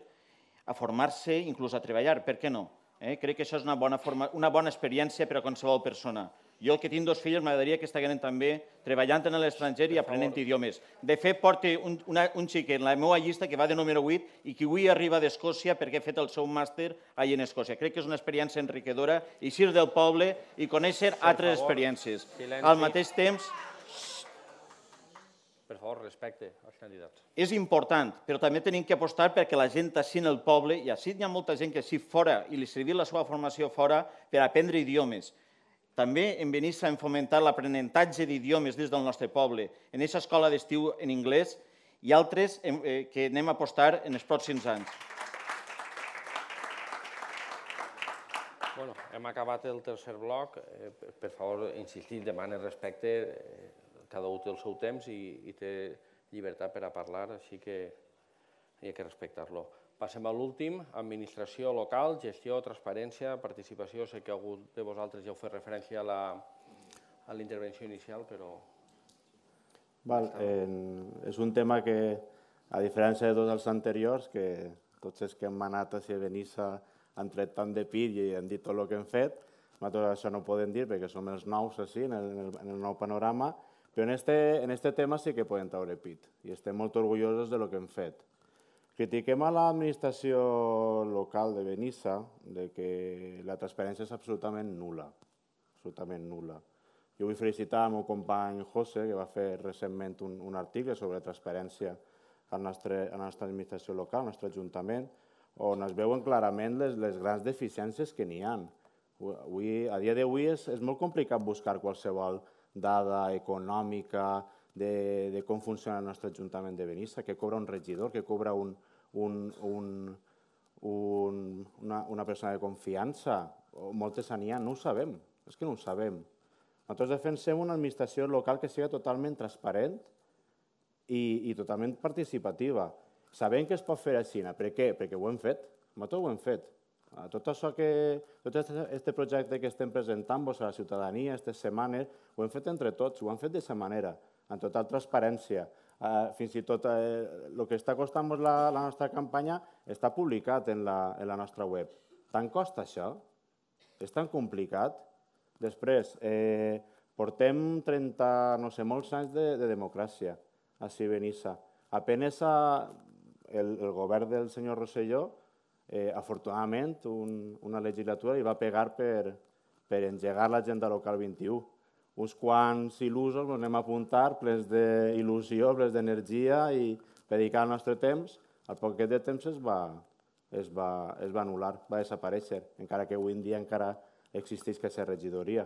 F: a formar-se, inclús a treballar, per què no? Eh? Crec que això és una bona, forma, una bona experiència per a qualsevol persona. Jo, que tinc dos fills, m'agradaria que estiguin també treballant en l'estranger i aprenent idiomes. De fet, porto un, una, un xiquet en la meva llista que va de número vuit i que avui arriba d'Escòcia perquè ha fet el seu màster allà en Escòcia. Crec que és una experiència enriquidora, eixir del poble i conèixer altres experiències. Al mateix temps...
A: Per favor, respecte als candidats.
F: És important, però també tenim que apostar perquè la gent així en el poble, i així hi ha molta gent que així fora i li servir la seva formació fora per aprendre idiomes. També en Benissa hem fomentat l'aprenentatge d'idiomes des del nostre poble, en aquesta escola d'estiu en anglès i altres eh, que anem a apostar en els pròxims anys.
A: Bueno, hem acabat el tercer bloc. Eh, per favor, insistir, demane respecte. Eh, cada un té el seu temps i, i té llibertat per a parlar, així que hi ha que respectar-lo. Passem a l'últim, administració local, gestió, transparència, participació. Sé que algú de vosaltres ja heu fet referència a la, a la intervenció inicial, però...
B: Val, eh, és un tema que, a diferència de tots els anteriors, que tots els que hem anat a Benissa han tret tant de pit i han dit tot el que hem fet, nosaltres això no ho podem dir perquè som els nous així, en el, en el nou panorama, però en este, en este tema sí que podem treure pit i estem molt orgullosos de lo que hem fet. Critiquem a l'administració local de Benissa de que la transparència és absolutament nul·la, absolutament nul·la. Jo vull felicitar el meu company José, que va fer recentment un, un article sobre transparència a la nostra, a la nostra administració local, al nostre ajuntament, on es veuen clarament les, les grans deficiències que n'hi ha. Avui, a dia d'avui és, és molt complicat buscar qualsevol dada econòmica de, de com funciona el nostre Ajuntament de Benissa, què cobra un regidor, què cobra un, un, un, un, una, una persona de confiança, o moltes n'hi ha, no ho sabem, és que no ho sabem. Nosaltres defensem una administració local que sigui totalment transparent i, i totalment participativa. Sabem que es pot fer així. Per què? Perquè ho hem fet. Nosaltres ho hem fet. Tot això que, tot aquest projecte que estem presentant a la ciutadania aquestes setmanes, ho hem fet entre tots, ho hem fet d'aquesta manera, amb total transparència. Fins i tot el que està costant la, la nostra campanya està publicat en la, en la nostra web. Tant costa això? És tan complicat? Després, eh, portem trenta, no sé, molts anys de, de democràcia a Benissa. Apenes a, el, el govern del senyor Rosselló, eh, afortunadament, un, una legislatura li va pegar per, per engegar l'agenda local vint-i-u. Uns quants il·lusos ens anem a apuntar, plens d'il·lusió, plens d'energia i dedicar el nostre temps. Al poquet de temps es va, es va, es va anul·lar, va desaparèixer, encara que avui en dia encara existeix aquesta regidoria.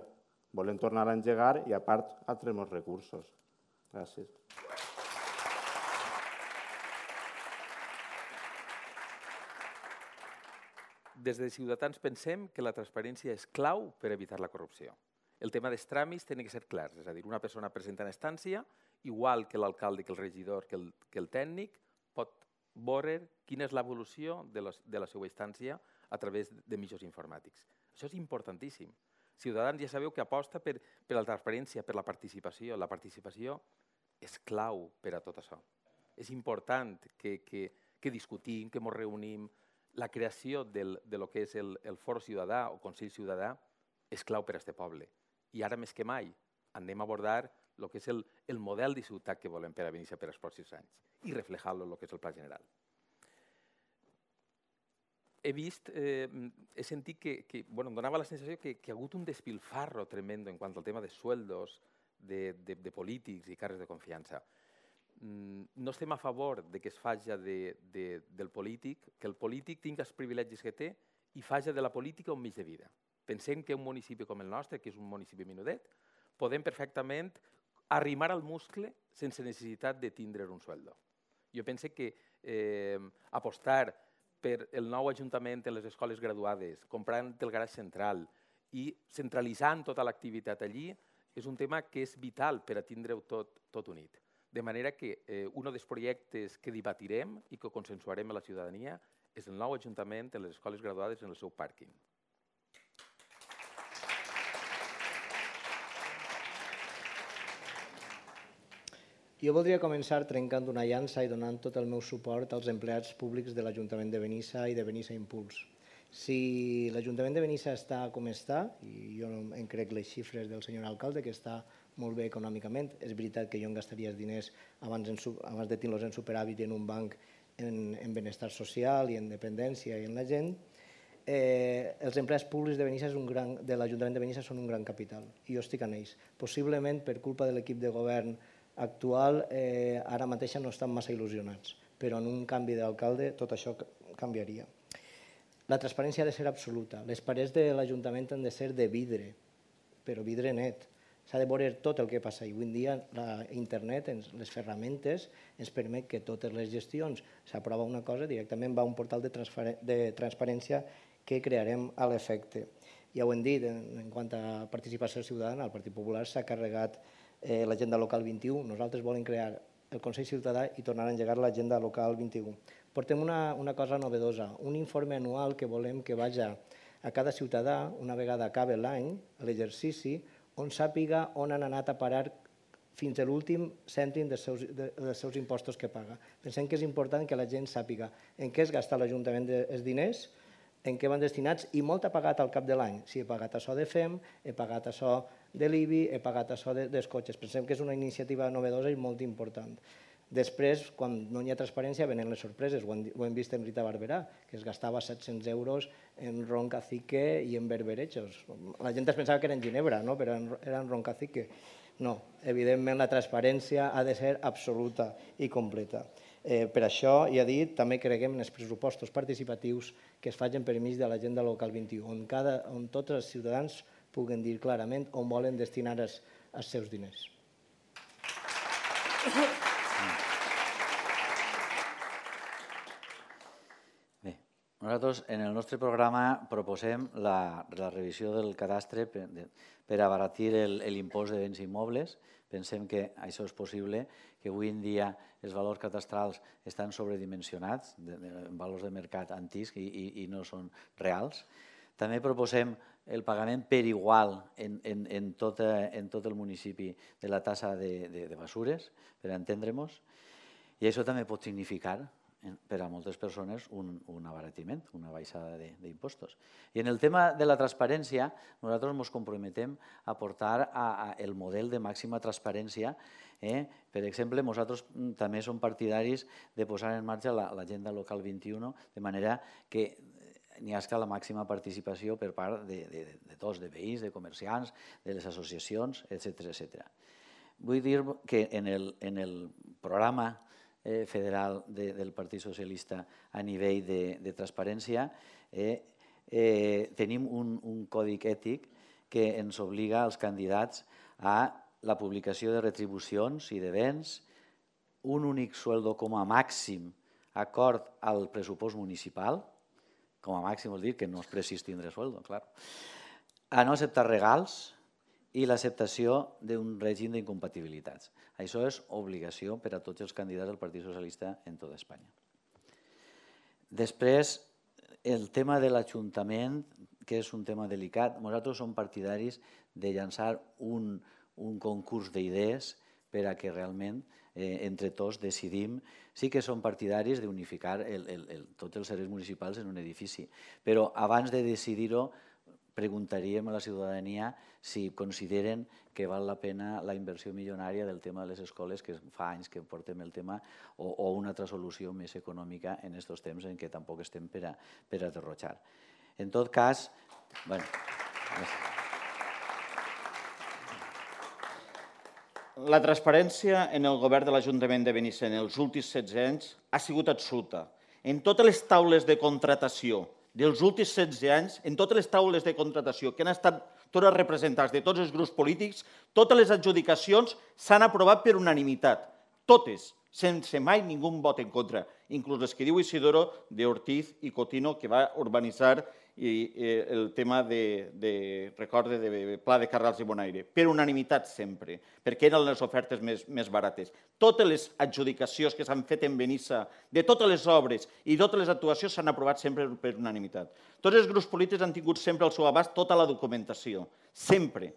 B: Volem tornar a engegar i, a part, altres molts recursos. Gràcies.
C: Des de Ciutadans pensem que la transparència és clau per evitar la corrupció. El tema dels tràmits té que ser clars, és a dir, una persona presenta en estància, igual que l'alcalde, que el regidor, que el, que el tècnic, pot veure quina és l'evolució de, de la seva instància a través de mitjans informàtics. Això és importantíssim. Ciutadans ja sabeu que aposta per, per la transparència, per la participació. La participació és clau per a tot això. És important que, que, que discutim, que ens reunim. La creació del, de lo que és el, el Foro Ciutadà o Consell Ciutadà és clau per a aquest poble. I ara més que mai anem a abordar el que és el, el model de ciutat que volem per a Benissa per als pròxims anys i reflejar-lo en el que és el Pla General. He vist, eh, he sentit que, que bueno, em donava la sensació que, que ha hagut un despilfarro tremendo en quant al tema de sueldos de, de, de polítics i càrrecs de confiança. Mm, no estem a favor de que es faci de, de, del polític, que el polític tingui els privilegis que té i faci de la política un mig de vida. Pensem que un municipi com el nostre, que és un municipi menudet, podem perfectament arrimar al muscle sense necessitat de tindre un sueldo. Jo penso que eh, apostar per el nou ajuntament en les escoles graduades, comprant el garatge central i centralitzant tota l'activitat allí, és un tema que és vital per a tindre-ho tot, tot unit. De manera que eh, un dels projectes que debatirem i que consensuarem a la ciutadania és el nou ajuntament en les escoles graduades en el seu pàrquing.
D: Jo voldria començar trencant una llança i donant tot el meu suport als empleats públics de l'Ajuntament de Benissa i de Benissa Impuls. Si l'Ajuntament de Benissa està com està, i jo em crec les xifres del senyor alcalde, que està molt bé econòmicament, és veritat que jo em gastaria els diners abans, en, abans de tenir-los en superàvit en un banc en, en benestar social i en dependència i en la gent, eh, els empleats públics de, Benissa és un gran, de l'Ajuntament de Benissa són un gran capital, i jo estic en ells. Possiblement, per culpa de l'equip de govern actual, eh, ara mateixa no estan massa il·lusionats, però en un canvi d'alcalde tot això canviaria. La transparència ha de ser absoluta. Les parets de l'Ajuntament han de ser de vidre, però vidre net. S'ha de veure tot el que passa. I avui en dia la internet, les ferramentes, ens permet que totes les gestions s'aprova una cosa, directament va a un portal de, de transparència que crearem a l'efecte. Ja ho hem dit, en quant a participació ciutadana, el Partit Popular s'ha carregat eh, l'agenda local vint-i-u. Nosaltres volem crear el Consell Ciutadà i tornar a engegar l'agenda local vint-i-u. Portem una, una cosa novedosa, un informe anual que volem que vagi a cada ciutadà, una vegada acabe l'any, a l'exercici, on sàpiga on han anat a parar fins a l'últim cèntim dels seus, de, dels seus impostos que paga. Pensem que és important que la gent sàpiga en què es gasta l'Ajuntament els diners, en què van destinats, i molt ha pagat al cap de l'any. Si he pagat això de F E M, he pagat això de l'I B I, he pagat això de, dels cotxes. Pensem que és una iniciativa novedosa i molt important. Després, quan no hi ha transparència, venen les sorpreses. Ho hem, ho hem vist en Rita Barberà, que es gastava set-cents euros en ron cacique i en berberechos. La gent es pensava que era en Ginebra, no? Però era en ron cacique. No, evidentment la transparència ha de ser absoluta i completa. Eh, per això, ja he dit, també creguem en els pressupostos participatius que es facin per mig de l'agenda local vint-i-u, on, cada, on tots els ciutadans puguen dir clarament on volen destinar els, els seus diners.
E: Bé, nosaltres en el nostre programa proposem la, la revisió del cadastre per, de, per abaratir l'impost de béns immobles. Pensem que això és possible, que avui en dia els valors cadastrals estan sobredimensionats, de, de, en valors de mercat antics i, i, i no són reals. També proposem el pagament per igual en, en, en, tot, en tot el municipi de la tassa de, de, de basures, per entendre-nos, i això també pot significar per a moltes persones un, un abaratiment, una baixada d'impostos. I en el tema de la transparència, nosaltres ens comprometem a portar a, a el model de màxima transparència. Eh? Per exemple, nosaltres també som partidaris de posar en marxa l'agenda local vint-i-u, de manera que n'hi hagi la màxima participació per part de, de, de tots, de veïns, de comerciants, de les associacions, etcètera, etcètera. Vull dir que en el, en el programa Eh, federal de, del Partit Socialista a nivell de, de transparència, eh, eh, tenim un, un codi ètic que ens obliga als candidats a la publicació de retribucions i de béns, un únic sueldo com a màxim acord al pressupost municipal, com a màxim vol dir que no es precís tindre sueldo, clar, a no acceptar regals i l'acceptació d'un règim d'incompatibilitats. Això és obligació per a tots els candidats del Partit Socialista en tota Espanya. Després, el tema de l'Ajuntament, que és un tema delicat, nosaltres som partidaris de llançar un, un concurs d'idees per a que realment eh, entre tots decidim. Sí que som partidaris d'unificar el, el, el, tots els serveis municipals en un edifici, però abans de decidir-ho preguntaríem a la ciutadania si consideren que val la pena la inversió milionària del tema de les escoles, que fa anys que portem el tema, o, o una altra solució més econòmica en aquests temps en què tampoc estem per a, per a derrotxar. En tot cas, bueno,
F: la transparència en el govern de l'Ajuntament de Benissa en els últims setze anys ha sigut absoluta. En totes les taules de contratació dels últims setze anys, en totes les taules de contratació que han estat totes representants de tots els grups polítics, totes les adjudicacions s'han aprovat per unanimitat. Totes, sense mai ningú vot en contra, inclús les que diu Isidoro d'Ortiz i Cotino, que va urbanitzar i, eh, el tema de, de recorde de Pla de Carrals i Bonaire, per unanimitat sempre, perquè eren les ofertes més, més barates. Totes les adjudicacions que s'han fet en Benissa, de totes les obres i totes les actuacions s'han aprovat sempre per unanimitat. Tots els grups polítics han tingut sempre al seu abast tota la documentació, sempre.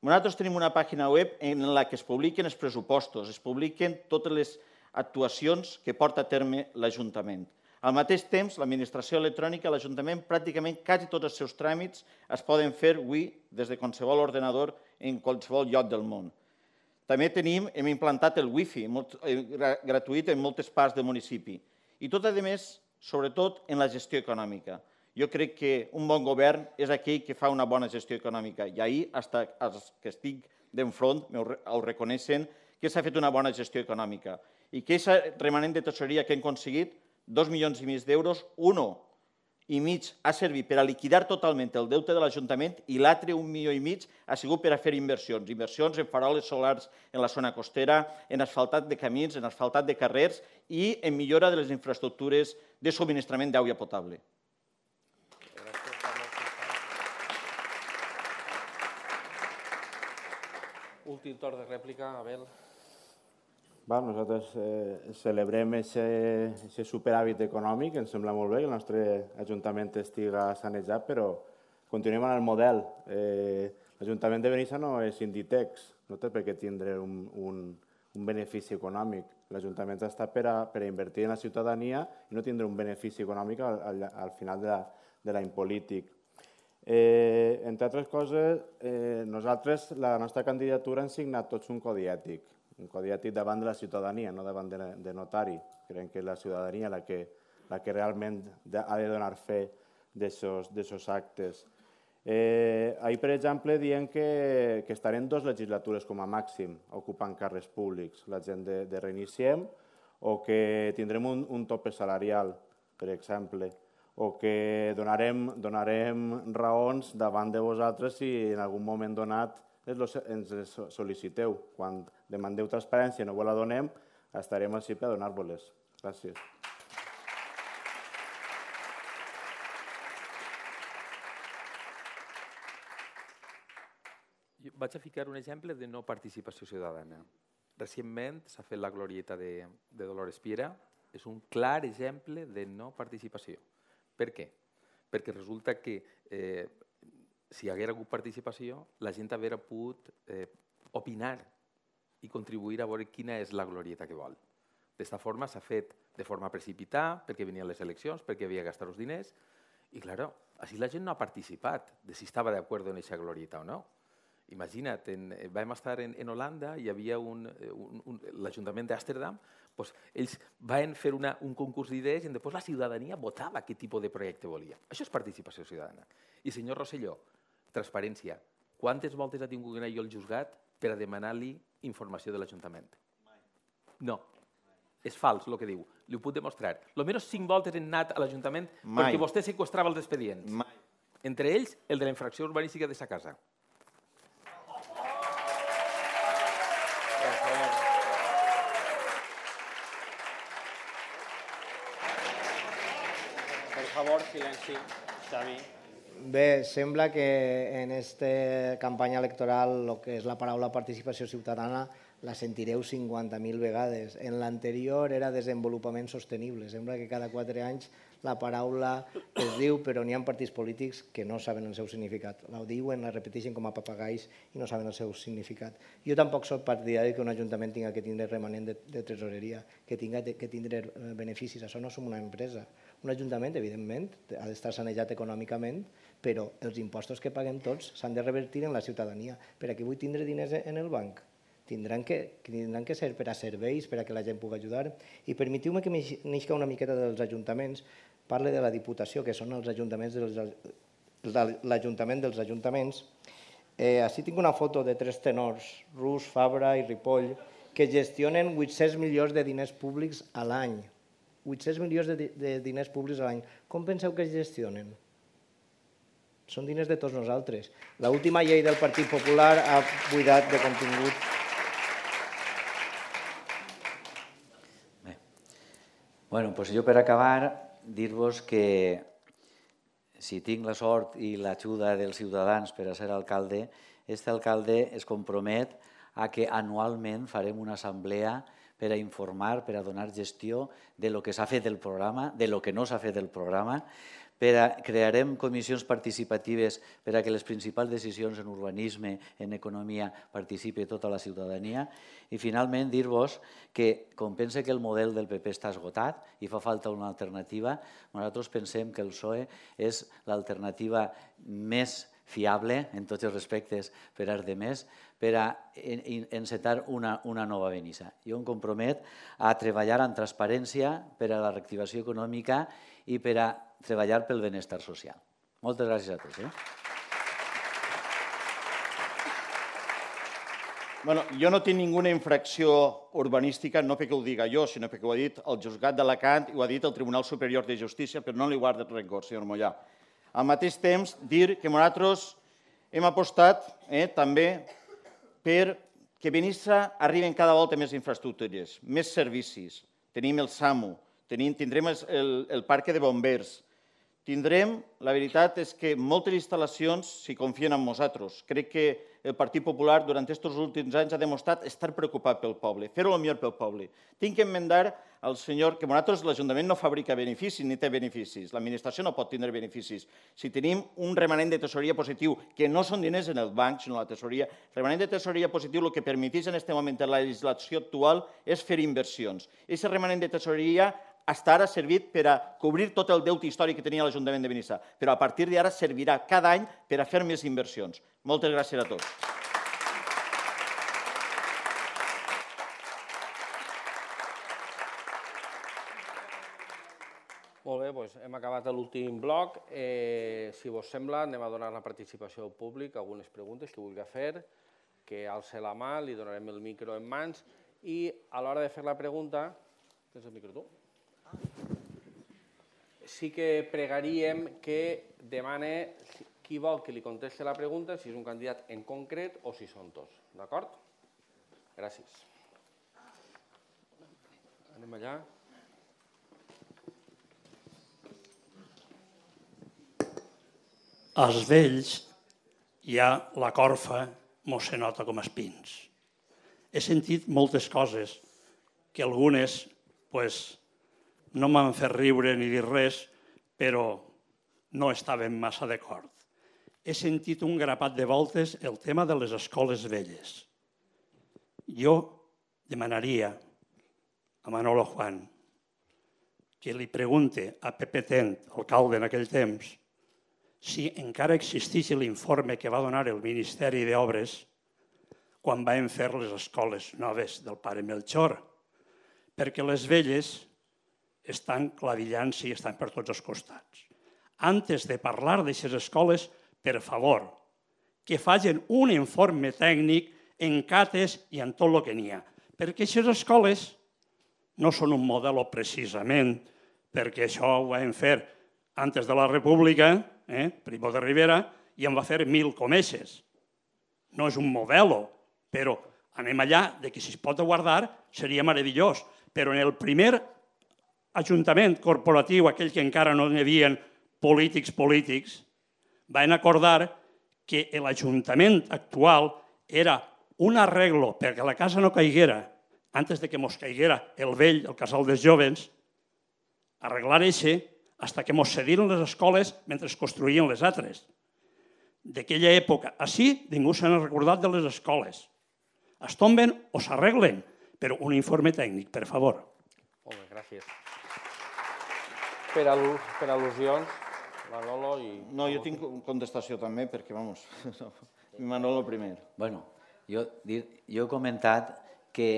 F: Nosaltres tenim una pàgina web en la que es publiquen els pressupostos, es publiquen totes les actuacions que porta a terme l'Ajuntament. Al mateix temps, l'administració electrònica, l'Ajuntament, pràcticament quasi tots els seus tràmits es poden fer avui des de qualsevol ordenador en qualsevol lloc del món. També tenim, hem implantat el wifi gratuït en moltes parts del municipi. I tot, a més, sobretot en la gestió econòmica. Jo crec que un bon govern és aquell que fa una bona gestió econòmica. I ahir, fins els que estic d'enfront, ho reconeixen, que s'ha fet una bona gestió econòmica. I que aquest remanent de tesoreria que hem aconseguit, dos milions i mig d'euros, un i mig ha servit per a liquidar totalment el deute de l'Ajuntament i l'altre, un milió i mig, ha sigut per a fer inversions. Inversions en faroles solars en la zona costera, en asfaltat de camins, en asfaltat de carrers i en millora de les infraestructures de subministrament d'aigua potable.
A: Últim torn de rèplica, Abel.
B: Nosaltres celebrem aquest superàvit econòmic, ens sembla molt bé que el nostre Ajuntament estigui sanejat, però continuem en el model. L'Ajuntament de Benissa no és Inditex, no té per què tindre un, un, un benefici econòmic. L'Ajuntament està per a, per a invertir en la ciutadania i no tindre un benefici econòmic al, al, al final de, la, de l'any polític. Eh, entre altres coses, eh, nosaltres, la nostra candidatura, hem signat tots un codi ètic, un codi ètic davant de la ciutadania, no davant de, de notari. Creiem que és la ciutadania la que, la que realment ha de donar fe d'aquests actes. Eh, ahir, per exemple, diem que, que estarem dues legislatures com a màxim ocupant càrrecs públics, la gent de, de Reiniciem, o que tindrem un, un tope salarial, per exemple, o que donarem, donarem raons davant de vosaltres si en algun moment donat ens sol·liciteu. Quan demandeu transparència i no vos la donem, estarem així per donar-vos-les. Gràcies.
C: Vaig a ficar un exemple de no participació ciutadana. Recentment s'ha fet la glorieta de, de Dolores Piera. És un clar exemple de no participació. Per què? Perquè resulta que eh, si hi hagués hagut participació, la gent hauria pogut eh, opinar i contribuir a veure quina és la glorieta que vol. D'esta forma s'ha fet de forma precipitada, perquè venien les eleccions, perquè havia de gastar els diners, i, clar, així la gent no ha participat de si estava d'acord en aquesta glorieta o no. Imagina't, en, vam estar en, en Holanda, hi havia un, un, un, l'Ajuntament d'Amsterdam, doncs ells van fer una, un concurs d'idees i després la ciutadania votava quin tipus de projecte volia. Això és participació ciutadana. I senyor Rosselló, transparència. Quantes voltes ha tingut que anar jo al juzgat per a demanar-li informació de l'Ajuntament? No. És fals el que diu. Li ho puc demostrar. Almenys cinc voltes he anat a l'Ajuntament perquè vostè seqüestrava els expedients.
F: Mai.
C: Entre ells, el de la infracció urbanística de sa casa.
G: Per favor, silenci. Xavi.
D: Bé, sembla que en aquesta campanya electoral el que és la paraula participació ciutadana la sentireu cinquanta mil vegades. En l'anterior era desenvolupament sostenible. Sembla que cada quatre anys la paraula es diu, però n'hi ha partits polítics que no saben el seu significat. La diuen, la repeteixen com a papagais i no saben el seu significat. Jo tampoc soc partidari que un ajuntament tinga que tindre remanent de, de tresoreria, que tinga que tindre beneficis. Això no som una empresa. Un ajuntament, evidentment, ha d'estar sanejat econòmicament, però els impostos que paguem tots s'han de revertir en la ciutadania. Per a què vull tindre diners en el banc? Tindran que, tindran que ser per a serveis, per a que la gent pugui ajudar. I permetiu-me que m'eixca una miqueta dels ajuntaments. Parle de la Diputació, que són els ajuntaments dels, l'Ajuntament dels ajuntaments. Eh, així tinc una foto de tres tenors, Rus, Fabra i Ripoll, que gestionen vuit-cents milions de diners públics a l'any. vuit-cents milions de, de diners públics a l'any. Com penseu que es gestionen? Són diners de tots nosaltres. L'última llei del Partit Popular ha buidat de contingut.
E: Bé. Bueno, doncs jo per acabar, dir-vos que si tinc la sort i l'ajuda dels ciutadans per a ser alcalde, aquest alcalde es compromet a que anualment farem una assemblea per a informar, per a donar gestió de lo que s'ha fet del programa, de lo que no s'ha fet del programa, per a, crearem comissions participatives per a que les principals decisions en urbanisme, en economia, participi tota la ciutadania. I finalment dir-vos que, com pense que el model del P P està esgotat i fa falta una alternativa, nosaltres pensem que el P S O E és l'alternativa més fiable, en tots els respectes, per als demés, per a encetar una, una nova Benissa. Jo em compromet a treballar amb transparència per a la reactivació econòmica i per a treballar pel benestar social. Moltes gràcies a tots. Eh?
F: Bueno, jo no tinc ninguna infracció urbanística, no perquè ho diga jo, sinó perquè ho ha dit el Juzgat d'Alacant i ho ha dit el Tribunal Superior de Justícia, però no li guarda rencor, senyor Mollà. Al mateix temps, dir que nosaltres hem apostat eh, també per que Benissa arriben cada volta més infraestructures, més servicis. Tenim el SAMU, tenim, tindrem el, el parc de bombers, tindrem, la veritat és que moltes instal·lacions s'hi confien en nosaltres. Crec que el Partit Popular durant aquests últims anys ha demostrat estar preocupat pel poble, fer-ho el millor pel poble. Tinc que enmendar al senyor que nosaltres l'Ajuntament no fabrica beneficis ni té beneficis, l'administració no pot tindre beneficis. Si tenim un remanent de tesoreria positiu, que no són diners en el banc, sinó la tesoreria, el remanent de tesoreria positiu el que permeteix en aquest moment en la legislació actual és fer inversions. Aquest remanent de tesoreria hasta ara ha servit per a cobrir tot el deute històric que tenia l'Ajuntament de Benissa, però a partir d'ara servirà cada any per a fer més inversions. Moltes gràcies a tots.
A: Molt bé, doncs hem acabat l'últim bloc. Si vos sembla, anem a donar la participació al públic, algunes preguntes que vulgui fer, que alce la mà, li donarem el micro en mans i a l'hora de fer la pregunta... Tens el micro tu? Sí que pregaríem que demane qui vol que li contesti la pregunta, si és un candidat en concret o si són tots. D'acord? Gràcies. Anem allà.
H: Als vells ja la corfa mos se nota com espins. He sentit moltes coses que algunes pues, no m'han fet riure ni dir res, però no estaven massa d'acord. He sentit un grapat de voltes el tema de les escoles velles. Jo demanaria a Manolo Juan que li pregunte a Pepe Tent, alcalde en aquell temps, si encara existeix l'informe que va donar el Ministeri d'Obres quan vam fer les escoles noves del pare Melchor, perquè les velles estan clavillant-se i estan per tots els costats. Antes de parlar d'aquestes escoles, per favor, que facin un informe tècnic en cates i en tot el que n'hi ha. Perquè aquestes escoles no són un model precisament, perquè això ho vam fer antes de la República, eh, Primo de Rivera, i en va fer mil comeixes. No és un model, però anem allà, de que si es pot guardar seria meravellós. Però en el primer ajuntament corporatiu, aquell que encara no hi havia polítics polítics, van acordar que l'Ajuntament actual era un arreglo perquè la casa no caiguera, antes de que mos caiguera el vell, el casal dels jovens, arreglar això fins que mos cediren les escoles mentre es construïen les altres. D'aquella època, així ningú se n'ha recordat de les escoles. Es tomben o s'arreglen, però un informe tècnic, per favor.
A: Molt bé, gràcies. Per al·lusions, Manolo i...
F: No, jo tinc contestació també, perquè, vamos, Manolo primer.
E: Bueno, jo he comentat que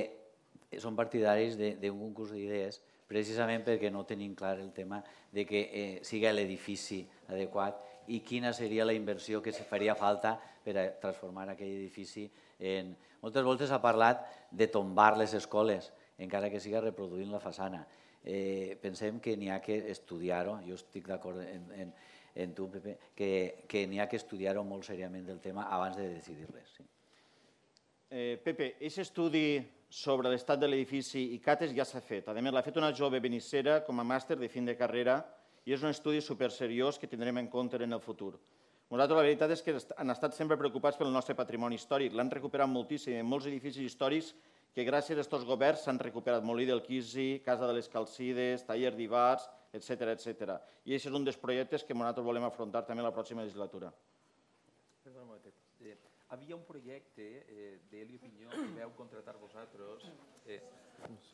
E: són partidaris d'un concurs d'idees precisament perquè no tenim clar el tema de que sigui l'edifici adequat i quina seria la inversió que faria falta per a transformar aquell edifici en... Moltes voltes ha parlat de tombar les escoles, encara que siga reproduint la façana. Pensem que n'hi ha que estudiar-ho, jo estic d'acord en tu, Pepe, que n'hi ha que estudiar-ho molt seriament del tema abans de decidir res.
F: Pepe, aquest estudi sobre l'estat de l'edifici i cates ja s'ha fet. A més, l'ha fet una jove benissera com a màster de fin de carrera i és un estudi superseriós que tindrem en compte en el futur. Nosaltres la veritat és que han estat sempre preocupats pel nostre patrimoni històric. L'han recuperat moltíssim. En molts edificis històrics que gràcies a aquests governs s'han recuperat. Molí del Quisi, Casa de les Calcides, Taller d'Ivars, etcètera, etcètera. I aquest és un dels projectes que nosaltres volem afrontar també la pròxima legislatura.
C: Perdona un momentet. Havia un projecte d'Helio Pinyó que veu contratar vosaltres...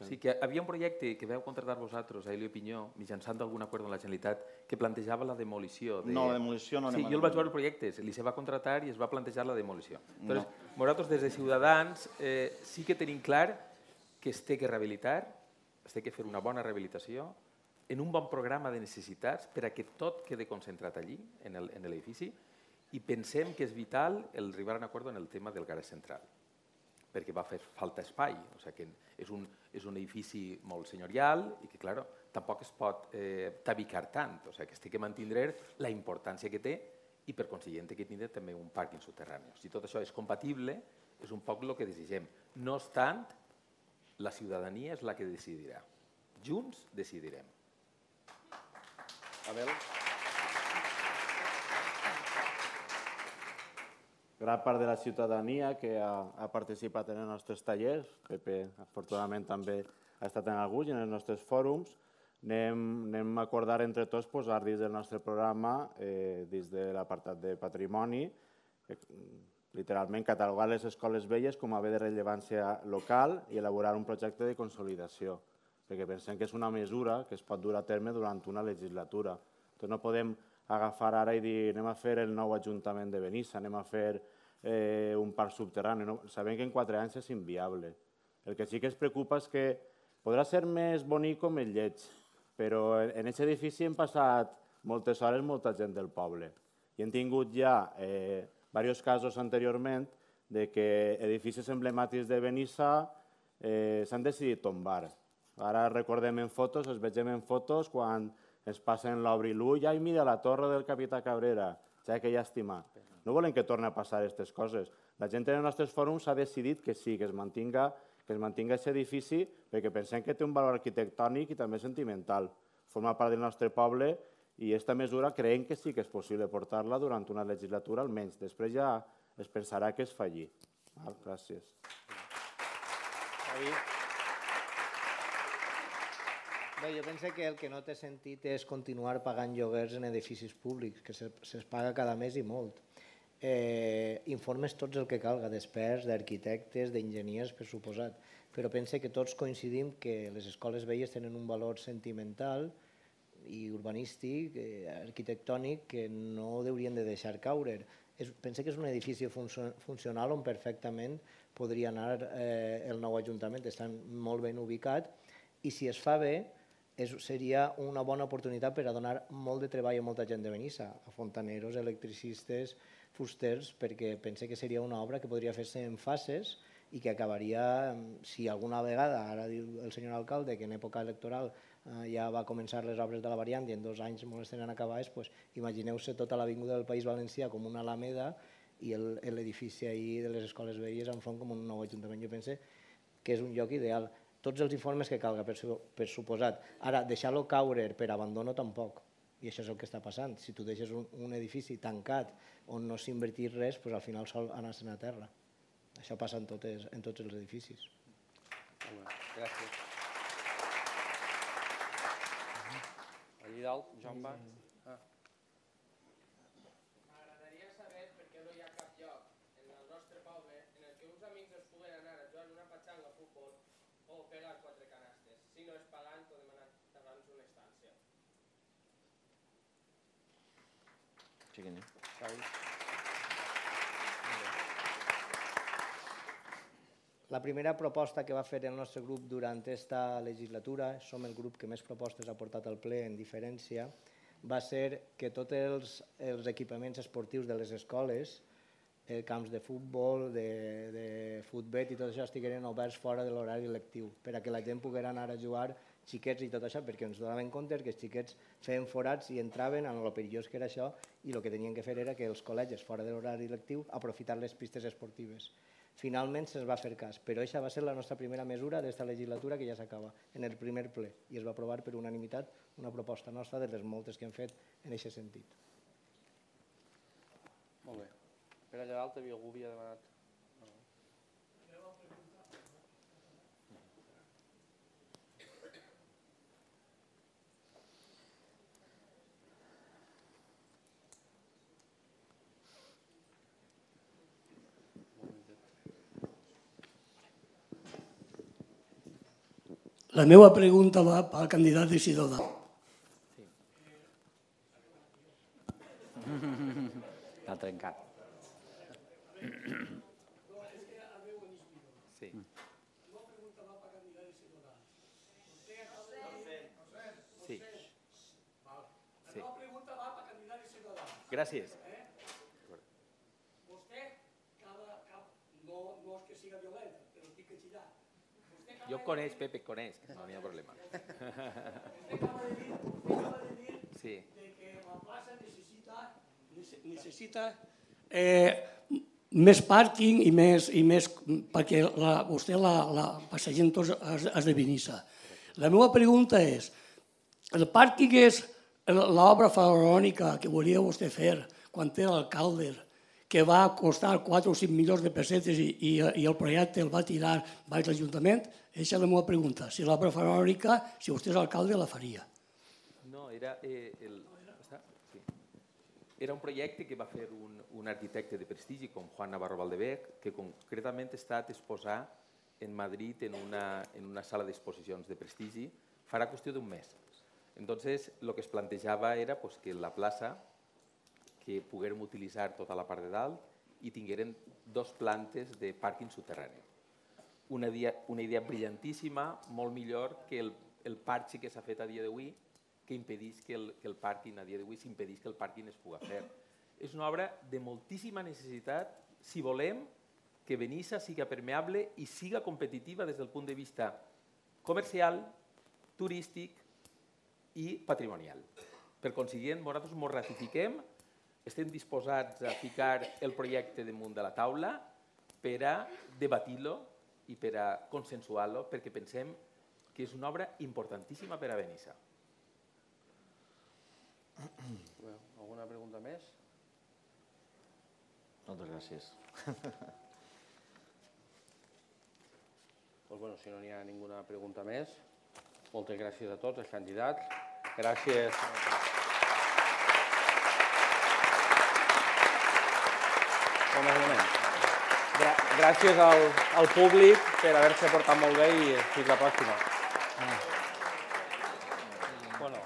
C: Sí, que havia un projecte que veu contratar vosaltres a Helio Pinyó, mitjançant d'algun acord amb la Generalitat, que plantejava la demolició.
F: No, la demolició no anem a...
C: Sí, jo el vaig veure el projecte, li se va contratar i es va plantejar la demolició. Nosaltres, des de Ciutadans, sí que tenim clar que es té que rehabilitar, es té que fer una bona rehabilitació, en un bon programa de necessitats per a que tot quede concentrat allí, en l'edifici, i pensem que és vital el arribar a un acord en el tema del garaje central, perquè va fer falta espai, o sigui que és un, és un edifici molt senyorial i que, clar, tampoc es pot eh, tabicar tant, o sigui que es té que mantindre la importància que té i, per consiguiente, que tindre també un pàrquing subterrani. Si tot això és compatible, és un poc el que desitgem. No obstant, la ciutadania és la que decidirà. Junts decidirem.
A: Abel?
B: gran part de la ciutadania que ha, ha participat en els nostres tallers. Pepe, afortunadament, també ha estat en alguns i en els nostres fòrums. Anem, anem a acordar entre tots posar dins del nostre programa, eh, dins de l'apartat de patrimoni, eh, literalment catalogar les escoles velles com a bé de rellevància local i elaborar un projecte de consolidació, perquè pensem que és una mesura que es pot dur a terme durant una legislatura. Entonces no podem agafar ara i dir anem a fer el nou Ajuntament de Benissa, anem a fer eh, un parc subterrani. No? Sabem que en quatre anys és inviable. El que sí que ens preocupa és que podrà ser més bonic o més lleig, però en aquest edifici hem passat moltes hores molta gent del poble i hem tingut ja eh, diversos casos anteriorment de que edificis emblemàtics de Benissa eh, s'han decidit tombar. Ara recordem en fotos, els vegem en fotos quan ens passen l'obri l'ull, ai, mira, la torre del capità Cabrera, ja que llàstima. No volem que torni a passar aquestes coses. La gent en els nostres fòrums ha decidit que sí, que es mantinga que es mantinga aquest edifici perquè pensem que té un valor arquitectònic i també sentimental. Forma part del nostre poble i aquesta mesura creiem que sí que és possible portar-la durant una legislatura almenys. Després ja es pensarà que es falli. Gràcies.
D: Bé, jo penso que el que no té sentit és continuar pagant lloguers en edificis públics, que se'ls paga cada mes i molt. Eh, informes tots el que calga, d'experts, d'arquitectes, d'enginyers, per suposat. Però pense que tots coincidim que les escoles velles tenen un valor sentimental i urbanístic, eh, arquitectònic, que no haurien de deixar caure. És, pense que és un edifici funcional on perfectament podria anar eh, el nou Ajuntament, està molt ben ubicat, i si es fa bé, és, seria una bona oportunitat per a donar molt de treball a molta gent de Benissa, a fontaneros, electricistes, fusters, perquè pense que seria una obra que podria fer-se en fases i que acabaria, si alguna vegada, ara diu el senyor alcalde que en època electoral eh, ja va començar les obres de la variant i en dos anys molt estaran acabades, pues, imagineu-se tota l'avinguda del País Valencià com una alameda i l'edifici ahir de les escoles velles enfront com un nou ajuntament. Jo pense que és un lloc ideal. Tots els informes que calga, per, per suposat. Ara, deixar-lo caure per abandono tampoc. I això és el que està passant. Si tu deixes un, un edifici tancat on no s'invertís res, doncs al final sol anar-se'n a terra. Això passa en, totes, en tots els edificis.
A: Gràcies. Allí dalt, Joan va. Ah.
I: M'agradaria saber per què no hi ha cap lloc en el nostre poble en el que uns amics es puguen anar a jugar una patxanga a futbol o pegar quatre canastes, si no és pagant o demanant abans una estància.
D: La primera proposta que va fer el nostre grup durant aquesta legislatura, som el grup que més propostes ha portat al ple en diferència, va ser que tots els, els equipaments esportius de les escoles, eh, camps de futbol, de, de futbet i tot això estigueren oberts fora de l'horari lectiu, per a que la gent pogués anar a jugar xiquets i tot això, perquè ens donaven compte que els xiquets feien forats i entraven en el perillós que era això i el que tenien que fer era que els col·legis fora de l'horari lectiu aprofitar les pistes esportives. Finalment se'ns va fer cas, però aquesta va ser la nostra primera mesura d'esta legislatura que ja s'acaba, en el primer ple, i es va aprovar per unanimitat una proposta nostra de les moltes que hem fet en aquest sentit.
A: Molt bé. Per allà dalt havia algú havia demanat...
J: La meva pregunta va pel candidat de Ciutadans.
E: L'ha trencat.
C: Sí. Sí. Sí. Gràcies.
J: Vostè, no és que siga violent, però estic excitat.
C: Jo coneix, Pepe, coneix, no hi ha problema.
J: Vostè acaba de dir, acaba de dir
C: sí.
J: de que la plaça necessita, necessita eh, més pàrquing i més, i més perquè la, vostè la, la passegem tots els, els de Benissa. La meva pregunta és, el pàrquing és l'obra faraònica que volia vostè fer quan era alcalde, que va costar quatre o cinc milions de pessetes i, i, i el projecte el va tirar baix l'Ajuntament? Aquesta és la meva pregunta. Si l'obra faraònica, si vostè és alcalde, la faria.
C: No, era, eh, el, sí. era un projecte que va fer un, un arquitecte de prestigi com Juan Navarro Valdebec, que concretament ha estat exposar en Madrid en una, en una sala d'exposicions de prestigi farà qüestió d'un mes. Entonces, lo que es plantejava era pues, que la plaça que poguérem utilitzar tota la part de dalt i tingueren dos plantes de pàrquing subterrani. Una idea, una idea brillantíssima, molt millor que el, el parche que s'ha fet a dia d'avui, que impedís que el, que el pàrquing a dia d'avui s'impedís que el pàrquing es pugui fer. És una obra de moltíssima necessitat si volem que Benissa siga permeable i siga competitiva des del punt de vista comercial, turístic i patrimonial. Per consiguient, nosaltres ens ratifiquem, estem disposats a ficar el projecte damunt de la taula per a debatir-lo i per a consensuar-lo, perquè pensem que és una obra importantíssima per a Benissa.
A: Alguna pregunta més?
B: Moltes gràcies.
A: Pues bueno, si no n'hi ha ninguna pregunta més, moltes gràcies a tots els candidats. Gràcies. Gràcies al, al públic per haver-se portat molt bé i fins la pròxima.
E: Bueno.